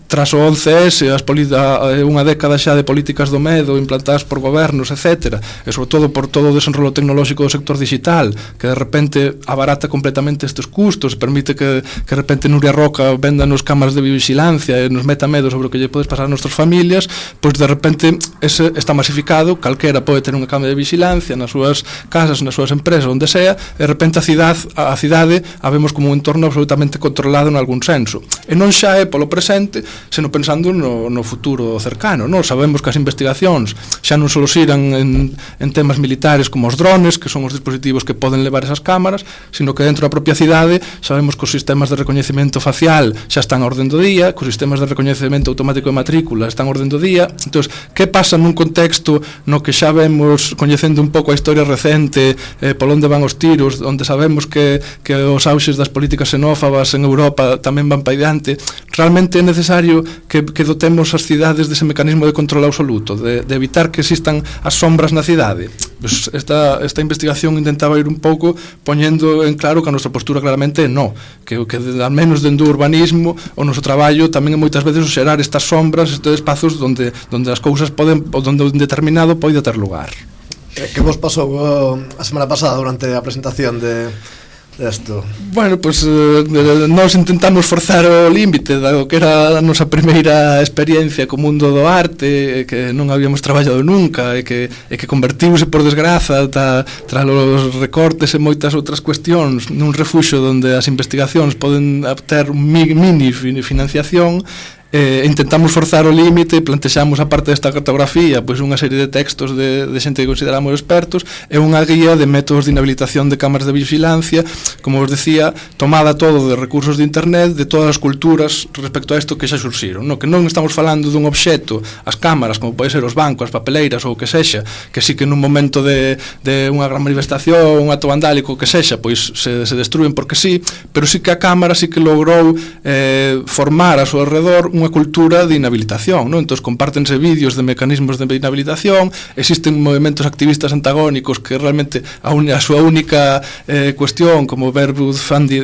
tras o once ese, as unha década xa de políticas do medo implantadas por gobernos, etcétera, e sobre todo por todo o desenrolo tecnolóxico do sector digital, que de repente abarata completamente estes custos, permite que, que de repente Nuria Roca venda nos cámaras de videovigilancia e nos meta medo sobre o que lle podes pasar a nosas familias, pois de repente ese está masificado, calquera pode ter unha cámara de vigilancia nas súas casas, nas súas empresas, onde sea, e de repente a cidade, a cidade a vemos como un entorno absolutamente controlado en algún senso, e non xa é polo presente, seno pensando no, no futuro cercano, non? Sabemos que as investigacións xa non só xiran en, en temas militares como os drones, que son os dispositivos que poden levar esas cámaras, sino que dentro da propia cidade sabemos que os sistemas de recoñecemento facial xa están a orden do día, que os sistemas de recoñecemento automático de matrícula están a orden do día. Entón, que pasa nun contexto no que xa vemos, coñecendo un pouco a historia recente, eh, por onde van os tiros, onde sabemos que, que os auxes das políticas xenófobas en Europa tamén van paidando diante, realmente é necesario que, que dotemos as cidades dese mecanismo de control absoluto, de, de evitar que existan as sombras na cidade. Pues esta, esta investigación intentaba ir un pouco poñendo en claro que a nosa postura claramente é no, que, que al menos dentro do urbanismo o noso traballo tamén é moitas veces xerar estas sombras, estes espazos onde, onde as cousas poden, onde un determinado pode ter lugar. Que vos pasou uh, a semana pasada durante a presentación de desto? Bueno, pois pues, eh, nós intentamos forzar o límite do que era a nosa primeira experiencia co mundo do arte, que non habíamos traballado nunca e que, e que convertiuse por desgraza ta, tras os recortes e moitas outras cuestións nun refuxo onde as investigacións poden ter un mini financiación. Eh, intentamos forzar o límite, plantexamos a parte desta cartografía pois unha serie de textos de, de xente que consideramos expertos e unha guía de métodos de inhabilitación de cámaras de vigilancia, como os decía, tomada todo de recursos de internet de todas as culturas respecto a isto que xa surxiron, no? Que non estamos falando dun obxecto, as cámaras, como pode ser os bancos, as papeleiras ou o que sexa, que sí que nun momento de, de unha gran manifestación, un acto vandálico, que sexa, pois se, se destruen porque sí, pero sí que a cámara sí que logrou eh, formar a seu alrededor unha cultura de inhabilitación, ¿no? Entón compártense vídeos de mecanismos de inhabilitación, existen movimentos activistas antagónicos que realmente a, un, a súa única eh, cuestión, como Verwood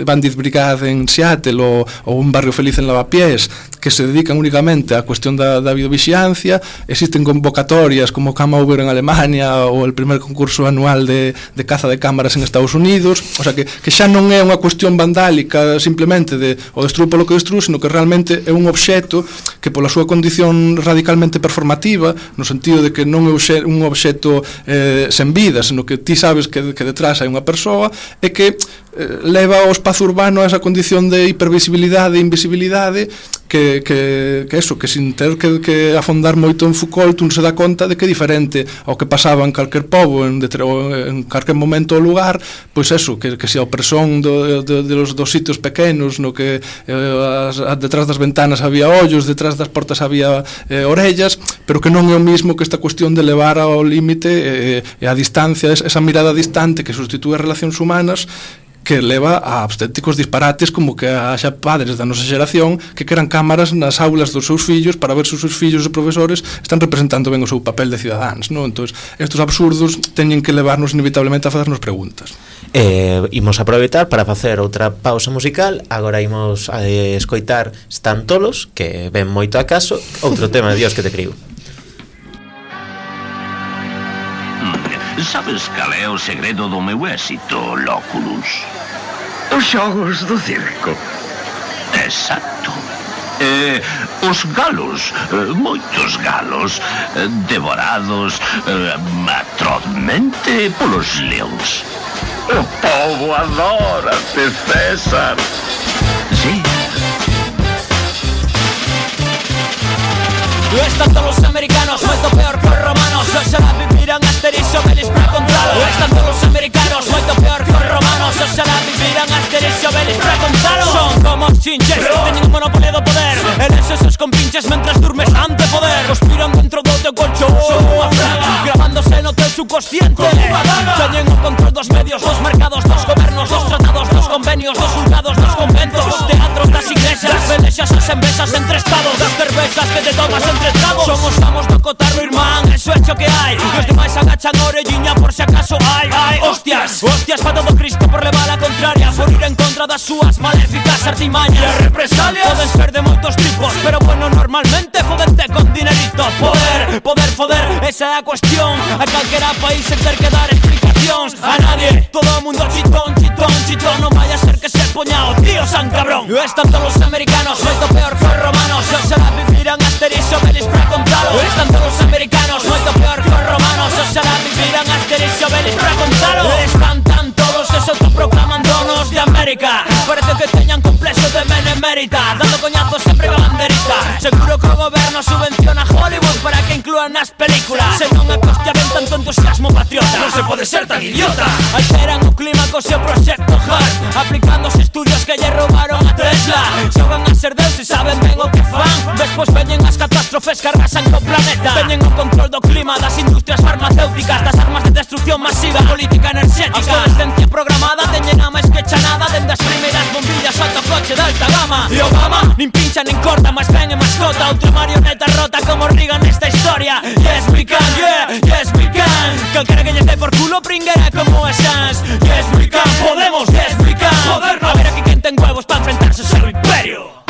Bandit Brigade en Seattle ou, ou un barrio feliz en Lavapiés, que se dedican únicamente á cuestión da, da videovigilancia. Existen convocatorias como Kamauer en Alemania ou el primer concurso anual de, de caza de cámaras en Estados Unidos, o sea que, que xa non é unha cuestión vandálica simplemente de o destrui polo que destrui, sino que realmente é un obxecto que pola súa condición radicalmente performativa, no sentido de que non é un obxecto eh, sen vida, senón que ti sabes que, que detrás hai unha persoa e que eh, leva o espazo urbano a esa condición de hipervisibilidade e invisibilidade que, que, que eso, que sin ter que, que afondar moito en Foucault un se dá conta de que é diferente ao que pasaba en calquer pobo, en, en calquer momento ou lugar, pois eso, que, que se a opresión do, de, de los dos sitios pequenos, no que eh, as, detrás das ventanas había ollos, detrás das portas había eh, orellas, pero que non é o mismo que esta cuestión de levar ao límite e eh, a distancia, esa mirada distante que sustitúe as relacións humanas, que leva a auténticos disparates como que haxa padres da nosa xeración que queran cámaras nas aulas dos seus fillos para ver se os seus fillos e profesores están representando ben o seu papel de cidadáns, non? Entón, estes absurdos teñen que levarnos inevitablemente a facernos preguntas. Eh, imos aproveitar para facer outra pausa musical. Agora imos a eh, escoitar Están Tolos, que ven moito a caso, outro tema de Dios que te criou. Sabes cal é o segredo do meu éxito, Lóculus? Os xogos do circo. Exacto. Eh, os galos, eh, moitos galos, eh, devorados eh, atrozmente polos leóns. O povo adora-te, César. Sí. Están todos los americanos, moito peor que os romanos. Oxalá viviran Asterix e Obelix para contalo. Están todos los americanos, moito peor que os romanos. Oxalá viviran Asterix e Obelix para contalo. Son como os chinches, teñen un monopolio do poder. Eles esos compinches mentras durmes ante poder. Conspiran dentro do teu colchón, son unha praga, gravándose no teu subconsciente. Teñen o control dos medios, dos mercados, dos gobernos, dos tratados, dos convenios, dos juzgados, dos conventos, dos teatros, das iglesias, das pelexas, as envesas entre estados, das cervezas que te tomas entre tragos. Somos amos do cotarro, irmán, eso é hecho que hai. Os demais agachan a orelliña por si acaso hai, hai. Hostias, hostias pa todo Cristo por levar a contraria, por ir en contra das súas maléficas artimañas. E as represalias poden ser de moitos tipos, pero bueno, normalmente fodente con dinerito. Poder, poder, foder, esa é a cuestión. A calquera país sen ter que dar explicacións a nadie. Todo o mundo chitón, chitón, chitón. Non vaya a ser que se poña o tío San Cabrón. Están todos os americanos, moito peor que os romanos. Oxalá viviran Asterix e Obelix para contalo. Están todos os americanos, moito peor que os romanos. Oxalá viviran Asterix e Obelix para contalo. Están tan todos que se autoproclaman donos de América. Parece que teñan complexo de benemérita, dando coñazos sempre a banderita. Seguro que o goberno subvenciona Hollywood para que inclúan nas películas. Se non é que hostia ven tanto entusiasmo patriota, non se pode ser tan idiota. Alteran o clima co seu proxecto hard, aplicando os estudios que lle roubaron a Tesla. Xogan a ser deuses, saben ben o que fan. Despois veñen as catástrofes que arrasan co planeta. Teñen o control do clima, das industrias farmacéuticas, das armas de destrucción masiva, política enerxética. A obsolescencia programada teñen a máis que chanada, dende as primeiras bombillas ata o coche da alta gama. E Obama nin pincha nin corta, mas ben e mascota. Outra marioneta rota como Reagan nesta historia. Yes we can, yeah, yes we can. Calquera que lle dé por culo pringuera como a Sans. Yes we can, podemos, yes we can. Moderno. A ver aquí quen ten huevos pa enfrentarse ao seu imperio.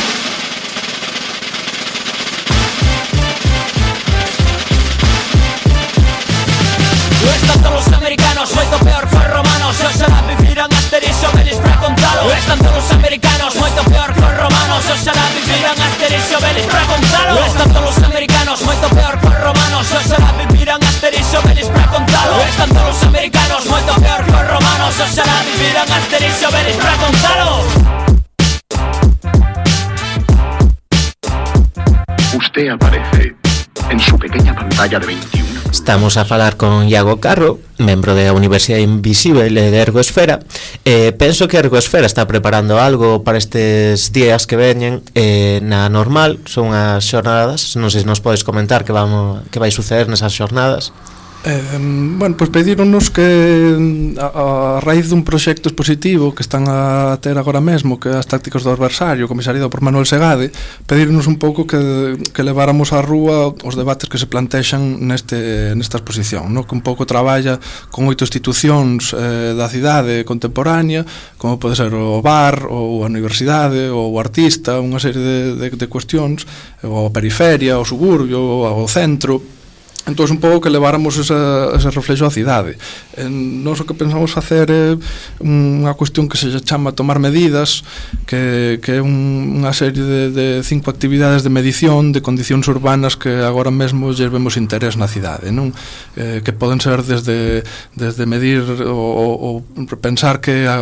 Están todos los americanos, moito peor que os romanos. Oxalá vivirán Asterix e Obelix pra contalo. Están todos los americanos, moito peor que os romanos. Oxalá vivirán Asterix e Obelix pra contalo. Están todos los americanos, moito peor que os romanos. Oxalá vivirán Asterix e Obelix pra contalo. Están todos los americanos, moito peor que os romanos. Oxalá vivirán Asterix e Obelix pra contalo. Usted aparece en su pequeña pantalla de veintiuno. Estamos a falar con Iago Carro, membro da Universidade Invisible e de Ergoesfera. eh, Penso que Ergoesfera está preparando algo para estes días que veñen. eh, Na normal son as xornadas. Non sei se nos podes comentar que, vamos, que vai suceder nesas xornadas. Eh, bueno, pois pues pedíronos que a, a raíz dun proxecto expositivo que están a ter agora mesmo, que é as tácticas do adversario, comisariado por Manuel Segade, pedíronos un pouco que, que leváramos á rúa os debates que se plantexan neste, nesta exposición, no? Que un pouco traballa con oito institucións eh, da cidade contemporánea, como pode ser o bar, ou a universidade, ou o artista, unha serie de, de, de cuestións, ou a periferia, o suburbio, ou o centro. Entón, un pouco que leváramos esa, ese reflexo á cidade. eh, Nos o que pensamos facer é unha cuestión que se chama tomar medidas, que, que é un, unha serie de, de cinco actividades de medición de condicións urbanas que agora mesmo lle vemos interés na cidade, non? Eh, que poden ser desde, desde medir ou, ou pensar que a,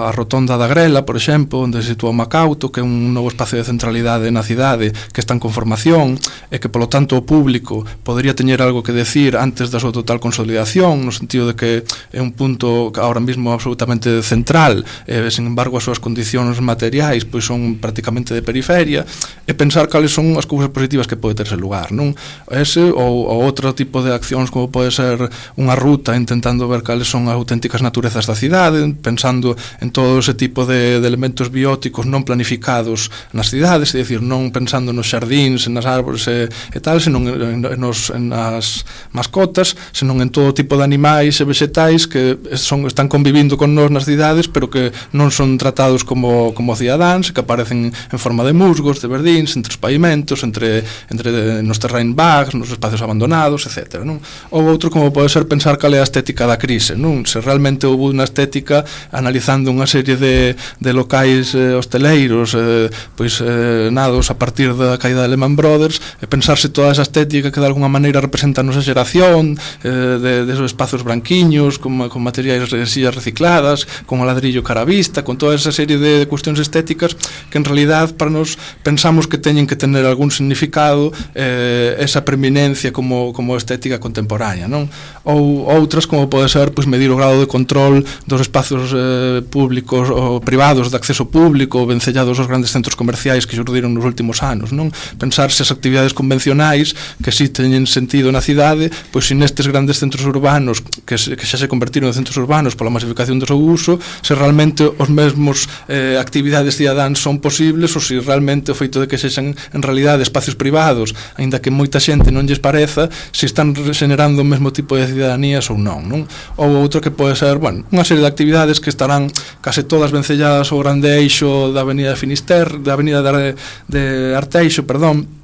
a rotonda da Grela, por exemplo, onde se sitúa o Macauto, que é un novo espacio de centralidade na cidade que está en conformación e que, polo tanto, o público podería teñer algo que decir antes da súa total consolidación, no sentido de que é un punto ahora mismo absolutamente central, e, sin embargo, as súas condicións materiais pois son prácticamente de periferia, e pensar cales son as cousas positivas que pode terse lugar, non? Ese ou, ou outro tipo de accións como pode ser unha ruta intentando ver cales son as auténticas naturezas da cidade, pensando en todo ese tipo de, de elementos bióticos non planificados nas cidades, é dicir, non pensando nos xardíns, nas árbores e, e tal, senón en, en, nos, en as mascotas, senón en todo tipo de animais e vegetais que son, están convivindo con nós nas cidades, pero que non son tratados como, como cidadáns, que aparecen en forma de musgos, de verdíns, entre os pavimentos, entre, entre nos terrain bags, nos espacios abandonados, etcétera, non? Ou outro como pode ser pensar cal é a estética da crise, non? Se realmente houve unha estética analizando unha serie de, de locais eh, hosteleiros eh, pois eh, nados a partir da caída de Lehman Brothers, e pensarse toda esa estética que de alguna maneira representa a nosa xeración, eh, de, de esos espacios branquiños con, con materiais de sillas recicladas, con o ladrillo cara a vista, con toda esa serie de, de cuestións estéticas que en realidad para nos pensamos que teñen que tener algún significado, eh, esa preeminencia como, como estética contemporánea, non? Ou outras como pode ser pois, medir o grado de control dos espacios eh, públicos ou privados de acceso público vencellados aos grandes centros comerciais que xurdiron nos últimos anos, non? Pensar se as actividades convencionais que si teñen sentido na cidade, pois se nestes grandes centros urbanos que, se, que xa se convertiron en centros urbanos pola masificación do seu uso, se realmente os mesmos eh, actividades cidadáns son posibles ou se realmente o feito de que sexan en realidade espacios privados, aínda que moita xente non lles pareza, se están generando o mesmo tipo de ciudadanías ou non, non? Ou outro que pode ser, bueno, unha serie de actividades que estarán case todas vencelladas ao grande eixo da avenida de Finisterre, da avenida de, de Arteixo, perdón,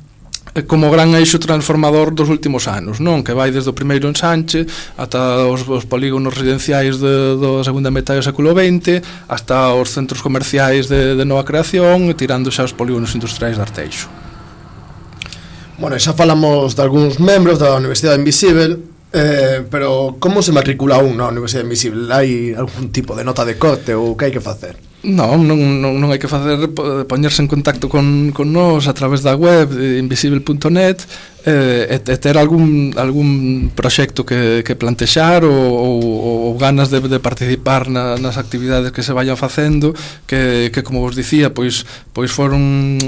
como gran eixo transformador dos últimos anos, non? Que vai desde o primeiro ensanche ata os, os polígonos residenciais de, da segunda metade do século vinte hasta os centros comerciais de, de nova creación e tirando xa os polígonos industriais de Arteixo. Bueno, xa falamos de algúns membros da Universidade Invisible, eh, pero como se matricula un na Universidade Invisible? Hai algún tipo de nota de corte ou que hai que facer? Non, non, non, non hai que facer poñerse en contacto con, con nós a través da web invisible punto net, eh, e, e ter algún algún proxecto que, que plantexar ou, ou, ou ganas de, de participar na, nas actividades que se vayan facendo que, que como vos dicía, pois, pois foron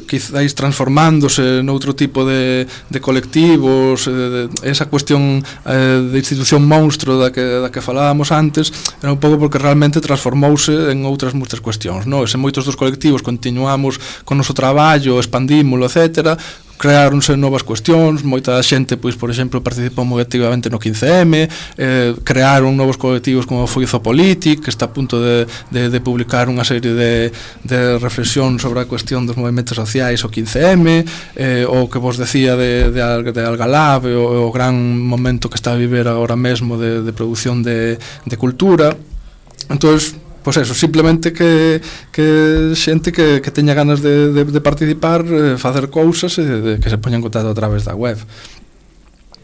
quizáis transformándose noutro tipo de, de colectivos, de, de, esa cuestión eh, de institución monstro da que, da que falábamos antes era un pouco porque realmente transformouse en outras moitas cuestións, no? E se moitos dos colectivos continuamos con o noso traballo, expandímolo, etcétera, creáronse novas cuestións, moita xente, pois, por exemplo, participou moi activamente no quince eme, eh, crearon novos colectivos como foi Zopolitic, que está a punto de, de, de publicar unha serie de, de reflexión sobre a cuestión dos movimentos sociais o quince eme, eh, o que vos decía de, de, de Algalab, o, o gran momento que está a viver agora mesmo de, de produción de, de cultura. Entonces, pois eso, simplemente que, que xente que, que teña ganas de, de, de participar, eh, facer cousas e de, que se poña en contacto a través da web.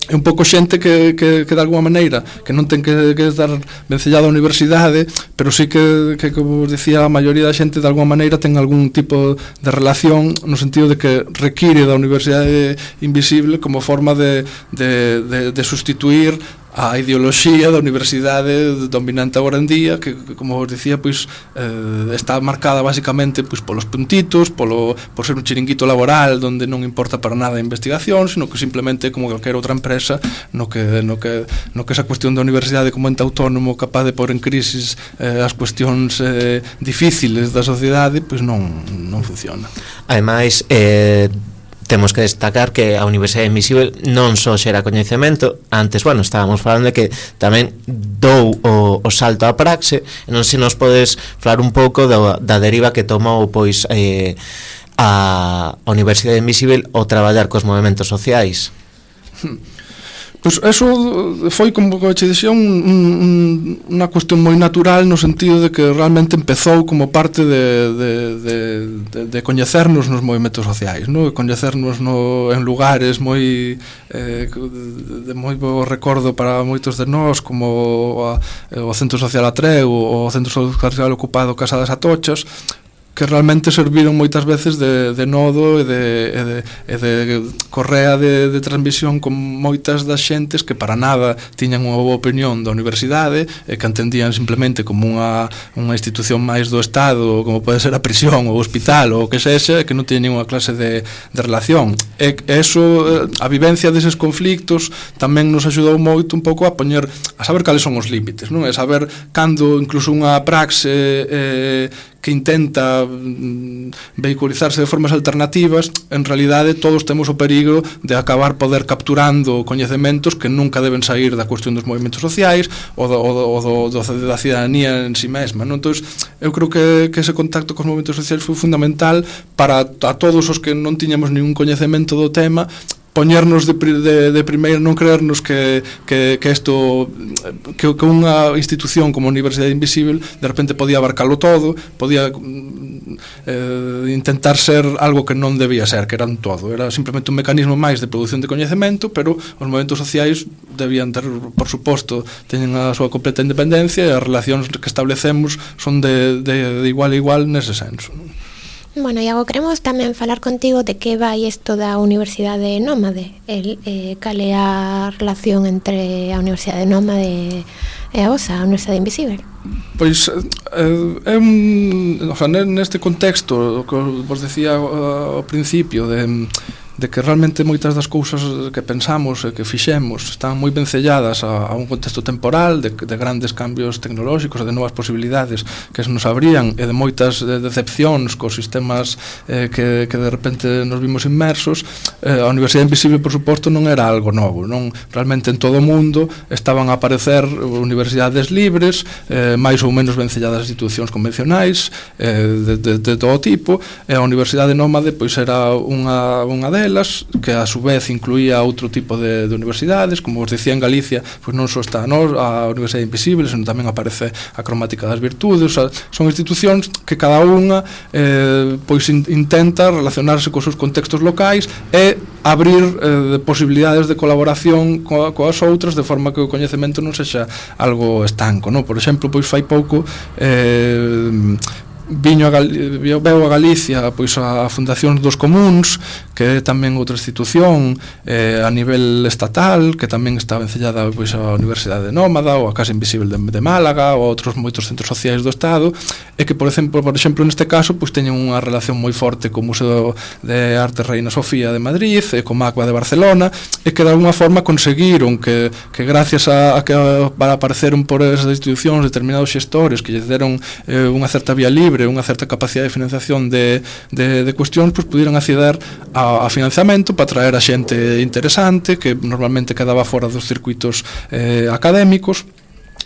É un pouco xente que, que, que de alguma maneira que non ten que, que estar vencellada á universidade, pero sí que, que como vos dicía, a maioría da xente de alguma maneira ten algún tipo de relación no sentido de que require da Universidade Invisible como forma de, de, de, de sustituir a ideoloxía da universidade dominante agora en día, que, que como vos dicía, pois eh, está marcada basicamente pois polos puntitos, polo por ser un chiringuito laboral onde non importa para nada a investigación, sino que simplemente como calquera outra empresa no que no que no que esa cuestión da universidade como ente autónomo capaz de pôr en crisis eh, as cuestións eh, difíciles da sociedade, pois non non funciona. Ademais, eh temos que destacar que a Universidade Invisible non só xera coñecemento, antes, bueno, estábamos falando de que tamén dou o, o salto á praxe, e non se nos podes falar un pouco da, da deriva que tomou pois eh, a Universidade Invisible ao traballar cos movementos sociais. Pois eso foi, como che dixía, un, un, unha cuestión moi natural no sentido de que realmente empezou como parte de, de, de, de, de coñecernos nos movimentos sociais, no? Coñecernos no, en lugares moi eh, de moi bo recordo para moitos de nós, como a, o Centro Social Atreu, o Centro Social Ocupado Casa das Atochas, que realmente serviron moitas veces de, de nodo e de, e de, e de correa de, de transmisión con moitas das xentes que para nada tiñan unha boa opinión da universidade e que entendían simplemente como unha, unha institución máis do Estado, como pode ser a prisión ou o hospital ou o que sexa, e que non tiñan unha clase de, de relación. E eso, a vivencia deses conflictos tamén nos axudou moito un pouco a poñer, a saber cales son os límites, non? E saber cando incluso unha praxe eh, que intenta mm, vehiculizarse de formas alternativas, en realidade todos temos o perigo de acabar poder capturando coñecementos que nunca deben sair da cuestión dos movimentos sociais ou do, o do, do, do, da cidadanía en si mesma, non? Entón, eu creo que, que ese contacto cos movimentos sociais foi fundamental para a todos os que non tiñamos ningún coñecemento do tema, poñernos de, de, de primeiro, non creernos que que que isto que, que unha institución como a Universidade Invisible de repente podía abarcalo todo, podía eh, intentar ser algo que non debía ser, que era un todo, era simplemente un mecanismo máis de produción de coñecemento, pero os movementos sociais debían ter, por suposto, teñen a súa completa independencia e as relacións que establecemos son de, de, de igual a igual nese senso. Bueno, Iago, queremos tamén falar contigo de que vai isto da Universidade Nómade, el, eh, cal é a relación entre a Universidade Nómade e a vosa, a Universidade Invisible. Pois eh, é un, o sea, neste contexto, o que vos decía ao principio de de que realmente moitas das cousas que pensamos e que fixemos están moi vencelladas a, a un contexto temporal de, de grandes cambios tecnolóxicos e de novas posibilidades que se nos abrían e de moitas de decepcións cos sistemas eh, que, que de repente nos vimos inmersos. eh, a Universidade Invisible, por suposto, non era algo novo, non? Realmente en todo o mundo estaban a aparecer universidades libres, eh, máis ou menos vencelladas a institucións convencionais eh, de, de, de todo tipo, e a Universidade Nómade pois era unha, unha delas, que a su vez incluía outro tipo de, de universidades, como vos decía, en Galicia pois non só está no, a Universidade Invisible, senón tamén aparece a Cromática das Virtudes. O sea, son institucións que cada unha eh, pois in, intenta relacionarse cos seus contextos locais e abrir eh, posibilidades de colaboración coa, coas outras, de forma que o coñecemento non sexa algo estanco, no? Por exemplo, pois fai pouco eh, viño a Gal veo a Galicia pois a Fundación dos Comuns, que é tamén outra institución eh, a nivel estatal, que tamén está vencellada pois a Universidade Nómada ou a Casa Invisible de, de Málaga ou outros moitos centros sociais do Estado, e que por exemplo, por exemplo neste caso pois teñen unha relación moi forte co Museo de Arte Reina Sofía de Madrid e co MACBA de Barcelona, e que de alguma forma conseguiron que, que gracias a, a que para apareceron por esas institucións determinados xestores que lle deron eh, unha certa vía libre, unha certa capacidade de financiación de, de, de cuestións, pois pudieron acceder a, a financiamento para traer a xente interesante que normalmente quedaba fora dos circuitos eh, académicos.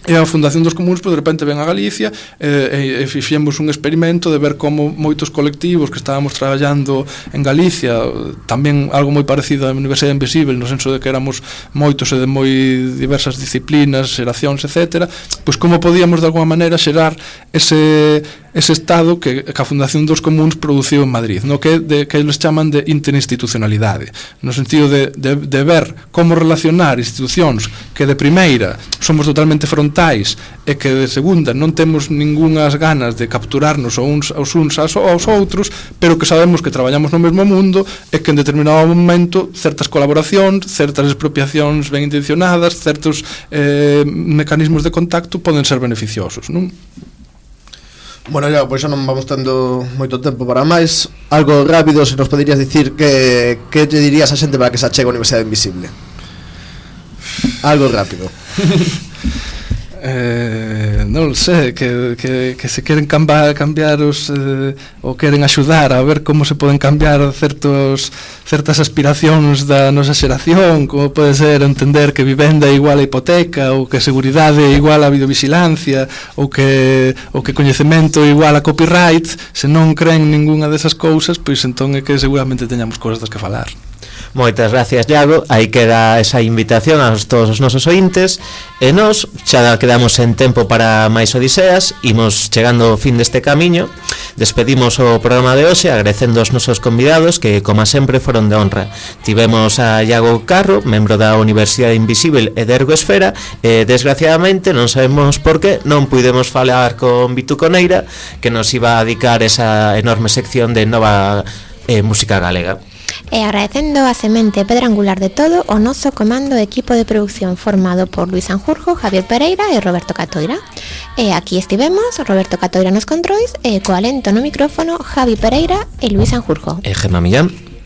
E a Fundación dos Comuns, pois, de repente ven a Galicia e, e, e fixemos un experimento de ver como moitos colectivos que estábamos traballando en Galicia, tamén algo moi parecido á Universidade Invisible, no senso de que éramos moitos e de moi diversas disciplinas, xeracións, etcétera, pois como podíamos de alguma maneira xerar ese ese estado que, que a Fundación dos Comuns produciu en Madrid, no que, de, que eles chaman de interinstitucionalidade, no sentido de, de, de ver como relacionar institucións que de primeira somos totalmente frontais e que de segunda non temos ningunhas ganas de capturarnos aos uns aos, uns aos outros, pero que sabemos que traballamos no mesmo mundo e que en determinado momento certas colaboracións, certas expropiacións ben intencionadas, certos eh, mecanismos de contacto poden ser beneficiosos, non? Bueno, ya, pois xa non vamos tendo moito tempo para máis. Algo rápido, se nos poderías dicir que que te dirías a xente para que se achegue a Universidade Invisible? Algo rápido. Eh, non sei, que, que, que se queren cambiar, cambiar os, eh, ou queren axudar a ver como se poden cambiar certos, certas aspiracións da nosa xeración, como pode ser entender que vivenda é igual a hipoteca, ou que seguridade é igual a videovigilancia, ou que, ou que coñecemento é igual a copyright. Se non creen ningunha desas cousas, pois entón é que seguramente teñamos cousas das que falar. Moitas gracias, Iago. Aí queda esa invitación a todos os nosos ointes. E nós xa quedamos en tempo para máis odiseas. Imos chegando ao fin deste camiño. Despedimos o programa de hoxe agradecendo aos nosos convidados que, como sempre, foron de honra. Tivemos a Iago Carro, membro da Universidade Invisible e de Ergoesfera, e desgraciadamente non sabemos por que non puidemos falar con Vitu Coneira, que nos iba a dedicar esa enorme sección de nova eh, música galega. E agradecendo a semente pedra angular de todo o noso comando e equipo de producción formado por Luis Sanjurjo, Javier Pereira e Roberto Catoira. E aquí estivemos, Roberto Catoira nos controis e co alento no micrófono Javi Pereira e Luis Sanjurjo. E Gemma Millán.